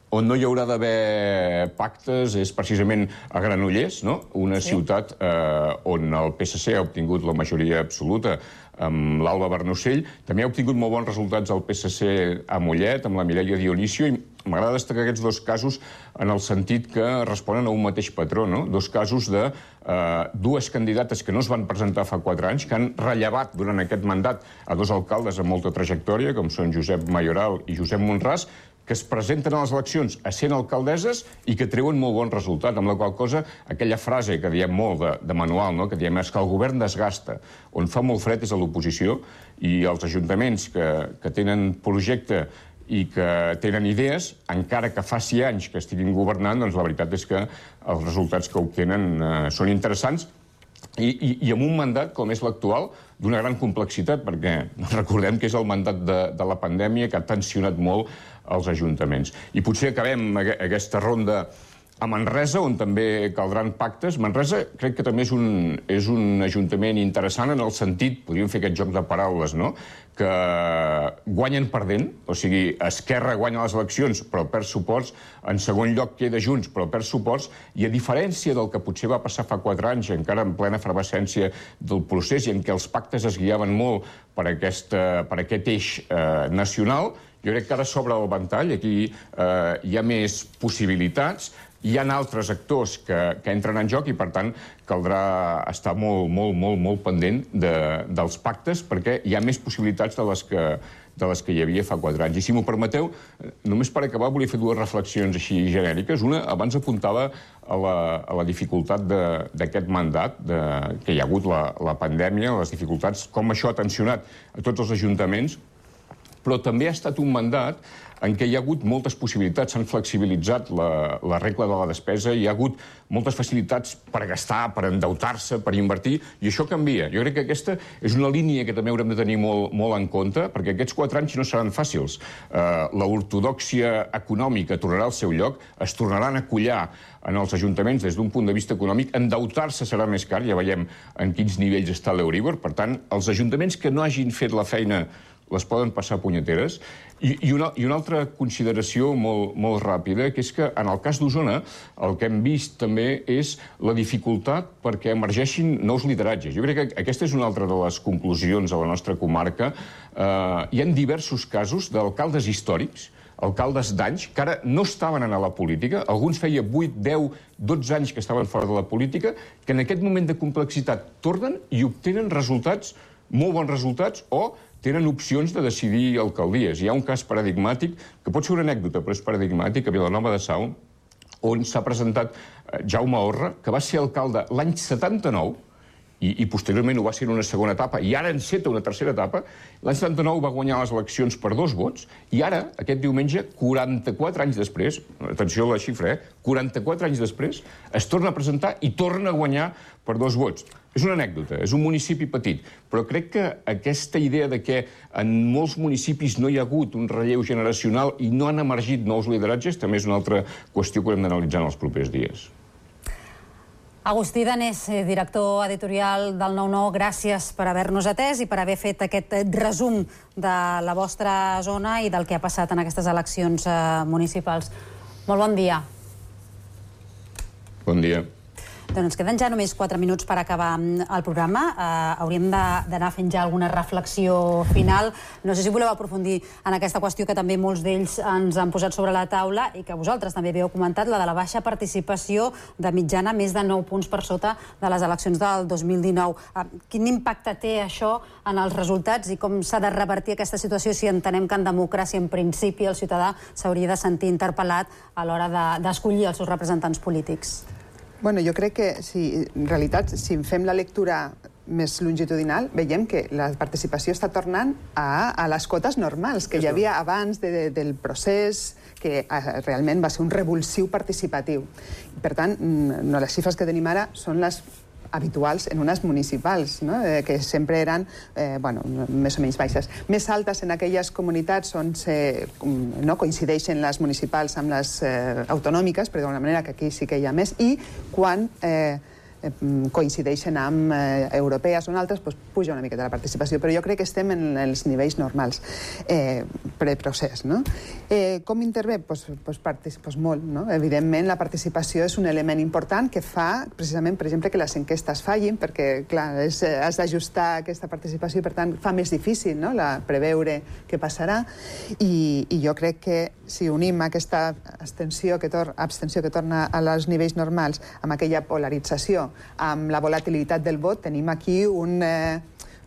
on no hi haurà d'haver pactes és precisament a Granollers, no? Una sí. ciutat eh, on el P S C ha obtingut la majoria absoluta amb l'Alba Bernocell. També ha obtingut molt bons resultats el P S C a Mollet, amb la Mireia Dionisio, i m'agrada destacar aquests dos casos en el sentit que responen a un mateix patró, no? Dos casos de eh, dues candidates que no es van presentar fa quatre anys, que han rellevat durant aquest mandat a dos alcaldes amb molta trajectòria, com són Josep Mayoral i Josep Monràs, que es presenten a les eleccions a sent alcaldesses i que treuen molt bon resultat, amb la qual cosa aquella frase que diem molt de, de manual, no? Que diem és que el govern desgasta. On fa molt fred és a l'oposició, i els ajuntaments que, que tenen projecte i que tenen idees, encara que faci anys que estiguin governant, doncs la veritat és que els resultats que obtenen eh, són interessants, I, i, i amb un mandat com és l'actual d'una gran complexitat, perquè recordem que és el mandat de, de la pandèmia que ha tensionat molt els ajuntaments. I potser acabem aquesta ronda a Manresa, on també caldran pactes. Manresa crec que també és un, és un ajuntament interessant en el sentit, podríem fer aquest joc de paraules, no?, que guanyen perdent, o sigui, Esquerra guanya les eleccions però perd suports, en segon lloc queda Junts però perd suports, i a diferència del que potser va passar fa quatre anys, encara en plena efervescència del procés i en què els pactes es guiaven molt per, aquesta, per aquest eix eh, nacional, jo crec que ara s'obre el ventall, aquí eh, hi ha més possibilitats, hi ha altres actors que, que entren en joc i, per tant, caldrà estar molt, molt, molt, molt pendent de, dels pactes perquè hi ha més possibilitats de les que, de les que hi havia fa quatre anys. I si m'ho permeteu, només per acabar volia fer dues reflexions així genèriques. Una, abans apuntava a la, a la dificultat d'aquest mandat, de, que hi ha hagut la, la pandèmia, les dificultats, com això ha tensionat a tots els ajuntaments, però també ha estat un mandat en què hi ha hagut moltes possibilitats, s'han flexibilitzat la, la regla de la despesa, hi ha hagut moltes facilitats per gastar, per endeutar-se, per invertir, i això canvia. Jo crec que aquesta és una línia que també haurem de tenir molt, molt en compte, perquè aquests quatre anys no seran fàcils. Uh, l'ortodòxia econòmica tornarà al seu lloc, es tornaran a collar en els ajuntaments des d'un punt de vista econòmic, endeutar-se serà més car, ja veiem en quins nivells està l'Euríbor, per tant, els ajuntaments que no hagin fet la feina les poden passar punyeteres. I, i, una, i una altra consideració molt, molt ràpida, que és que en el cas d'Osona el que hem vist també és la dificultat perquè emergeixin nous lideratges. Jo crec que aquesta és una altra de les conclusions a la nostra comarca. Eh, hi ha diversos casos d'alcaldes històrics, alcaldes d'anys, que ara no estaven a la política, alguns feia vuit, deu, dotze anys que estaven fora de la política, que en aquest moment de complexitat tornen i obtenen resultats, molt bons resultats, o tenen opcions de decidir alcaldies. Hi ha un cas paradigmàtic, que pot ser una anècdota, però és paradigmàtic, a Vilanova de Sau, on s'ha presentat Jaume Orra, que va ser alcalde l'any setanta-nou, i, i posteriorment ho va ser en una segona etapa, i ara enceta una tercera etapa. L'any setanta-nou va guanyar les eleccions per dos vots, i ara, aquest diumenge, quaranta-quatre anys després, atenció a la xifra, eh? quaranta-quatre anys després, es torna a presentar i torna a guanyar per dos vots. És una anècdota, és un municipi petit, però crec que aquesta idea de que en molts municipis no hi ha hagut un relleu generacional i no han emergit nous lideratges també és una altra qüestió que haurem d'analitzar en els propers dies. Agustí Danés, director editorial del nou nou, gràcies per haver-nos atès i per haver fet aquest resum de la vostra zona i del que ha passat en aquestes eleccions municipals. Molt bon dia. Bon dia. Doncs ens queden ja només quatre minuts per acabar el programa. Uh, hauríem d'anar fent ja alguna reflexió final. No sé si voleu aprofundir en aquesta qüestió que també molts d'ells ens han posat sobre la taula i que vosaltres també havíeu comentat, la de la baixa participació de mitjana, més de nou punts per sota de les eleccions del dos mil dinou. Uh, quin impacte té això en els resultats i com s'ha de revertir aquesta situació si entenem que en democràcia, en principi, el ciutadà s'hauria de sentir interpel·lat a l'hora d'escollir els seus representants polítics? Bueno, jo crec que, si, en realitat, si fem la lectura més longitudinal, veiem que la participació està tornant a, a les cotes normals que hi havia abans de, de, del procés, que eh, realment va ser un revulsiu participatiu. Per tant, no, les xifres que tenim ara són les habituals en unes municipals, no? eh, que sempre eren eh, bueno, més o menys baixes. Més altes en aquelles comunitats on se, no, coincideixen les municipals amb les eh, autonòmiques, però d'una manera que aquí sí que hi ha més, i quan eh, coincideixen amb eh, europees o en altres, doncs puja una miqueta la participació, però jo crec que estem en els nivells normals eh, preprocés, no? Eh, com intervé? Pues, pues, pues molt, no? Evidentment, la participació és un element important que fa, precisament, per exemple, que les enquestes fallin, perquè, clar, és, has d'ajustar aquesta participació i, per tant, fa més difícil, no?, la, preveure què passarà, i, i jo crec que si unim aquesta abstenció que, tor abstenció que torna als nivells normals amb aquella polarització, amb la volatilitat del vot, tenim aquí un, eh,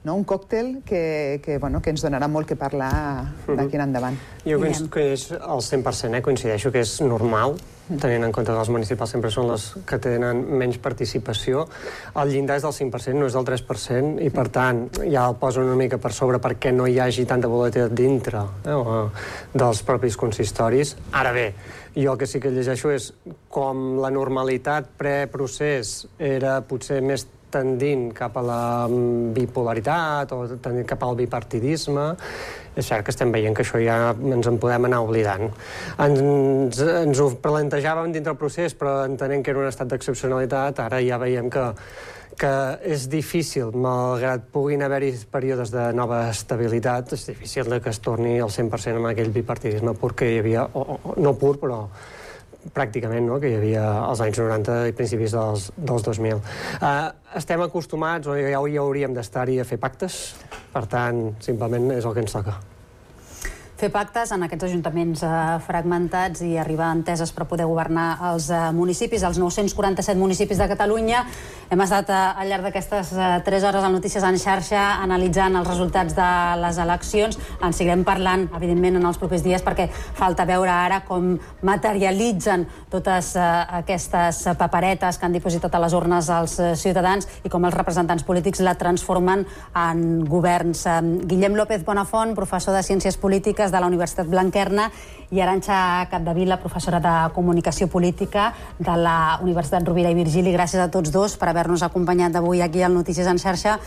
no, un còctel que, que, bueno, que ens donarà molt que parlar d'aquí en endavant. Jo coincideixo al cent per cent, eh? Coincideixo que és normal, tenint en compte que els municipals sempre són les que tenen menys participació. El llindar és del cinc per cent, no és del tres per cent, i per tant ja el posen una mica per sobre perquè no hi hagi tanta volatilitat dintre eh, dels propis consistoris. Ara bé, jo el que sí que llegeixo és com la normalitat preprocés era potser més tendint cap a la bipolaritat o tendint cap al bipartidisme. És cert que estem veient que això ja ens en podem anar oblidant. Ens, ens ho plantejàvem dintre el procés, però entenent que era un estat d'excepcionalitat, ara ja veiem que, que és difícil, malgrat puguin haver-hi períodes de nova estabilitat, és difícil que es torni al cent per cent amb aquell bipartidisme pur que hi havia, o, o, no pur, però pràcticament, no?, que hi havia als anys noranta i principis dels, dels dos mil. Uh, estem acostumats, o ja, ja hauríem d'estar-hi a fer pactes, per tant, simplement és el que ens toca. Fer pactes en aquests ajuntaments eh, fragmentats i arribar a enteses per poder governar els eh, municipis, els nou-cents quaranta-set municipis de Catalunya. Hem estat eh, al llarg d'aquestes eh, tres hores al Notícies en xarxa analitzant els resultats de les eleccions. En seguirem parlant, evidentment, en els propers dies, perquè falta veure ara com materialitzen totes eh, aquestes paperetes que han dipositat a les urnes els eh, ciutadans i com els representants polítics la transformen en governs. Eh, Guillem López Bonafont, professor de Ciències Polítiques de la Universitat Blanquerna, i Arantxa Capdevila, professora de Comunicació Política de la Universitat Rovira i Virgili. Gràcies a tots dos per haver-nos acompanyat avui aquí al Notícies en xarxa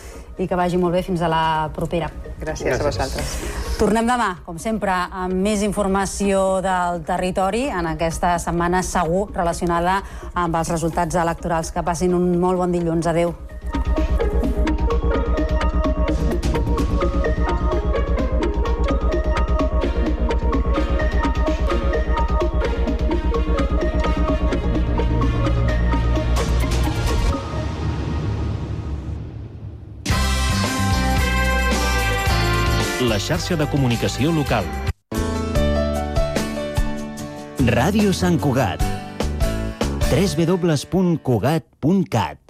i que vagi molt bé. Fins a la propera. Gràcies, Gràcies. a vosaltres. Tornem demà, com sempre, amb més informació del territori en aquesta setmana segur relacionada amb els resultats electorals. Que passin un molt bon dilluns. Adéu. La xarxa de comunicació local. Ràdio Sant Cugat. w w w punt cugat punt cat.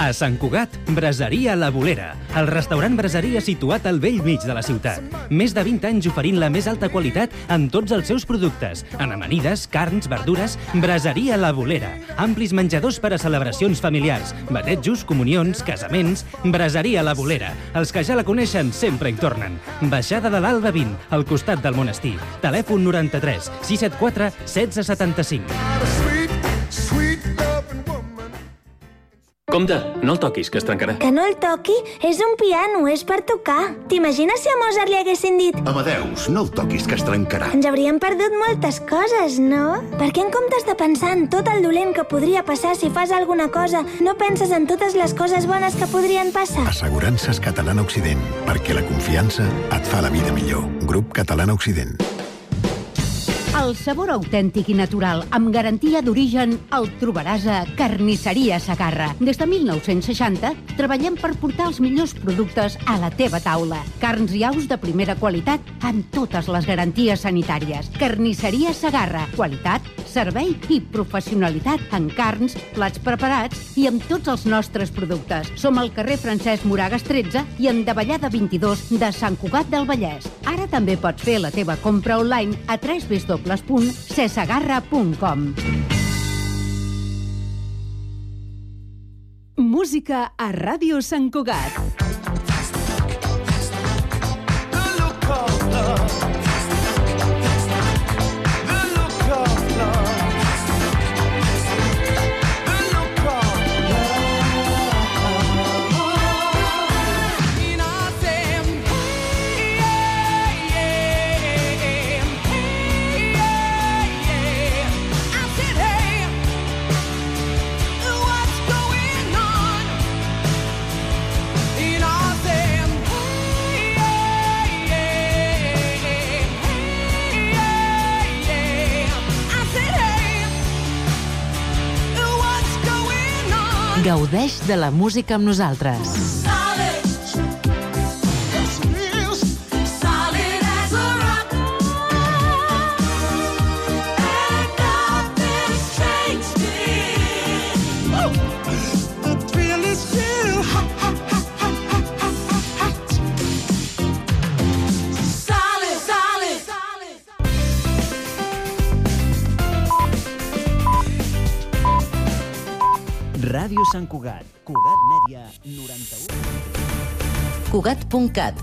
A Sant Cugat, Braseria La Bolera, el restaurant braseria situat al vell mig de la ciutat. Més de vint anys oferint la més alta qualitat en tots els seus productes. En amanides, carns, verdures, Braseria La Bolera. Amplis menjadors per a celebracions familiars, batejos, comunions, casaments. Braseria La Bolera. Els que ja la coneixen sempre hi tornen. Baixada de l'Alba vint, al costat del monestir. Telèfon noranta-tres sis set quatre setze setanta-cinc. Compte, no el toquis, que es trencarà. Que no el toqui? És un piano, és per tocar. T'imagines si a Mozart li haguessin dit Amadeus, no el toquis, que es trencarà. Ens hauríem perdut moltes coses, no? Per què en comptes de pensar en tot el dolent que podria passar si fas alguna cosa, no penses en totes les coses bones que podrien passar? Assegurances Catalana Occident, perquè la confiança et fa la vida millor. Grup Catalana Occident. El sabor autèntic i natural, amb garantia d'origen, el trobaràs a Carnisseria Segarra. Des de mil nou-cents seixanta treballem per portar els millors productes a la teva taula. Carns i aus de primera qualitat amb totes les garanties sanitàries. Carnisseria Segarra. Qualitat, servei i professionalitat en carns, plats preparats i amb tots els nostres productes. Som al carrer Francesc Moragas tretze i en Davallada vint-i-dos de Sant Cugat del Vallès. Ara també pots fer la teva compra online a w w w punt cesegarra punt com. Música a Ràdio Sant Cugat. Gaudeix de la música amb nosaltres. Ràdio Sant Cugat, Cugat Mèdia, noranta-u. Cugat punt cat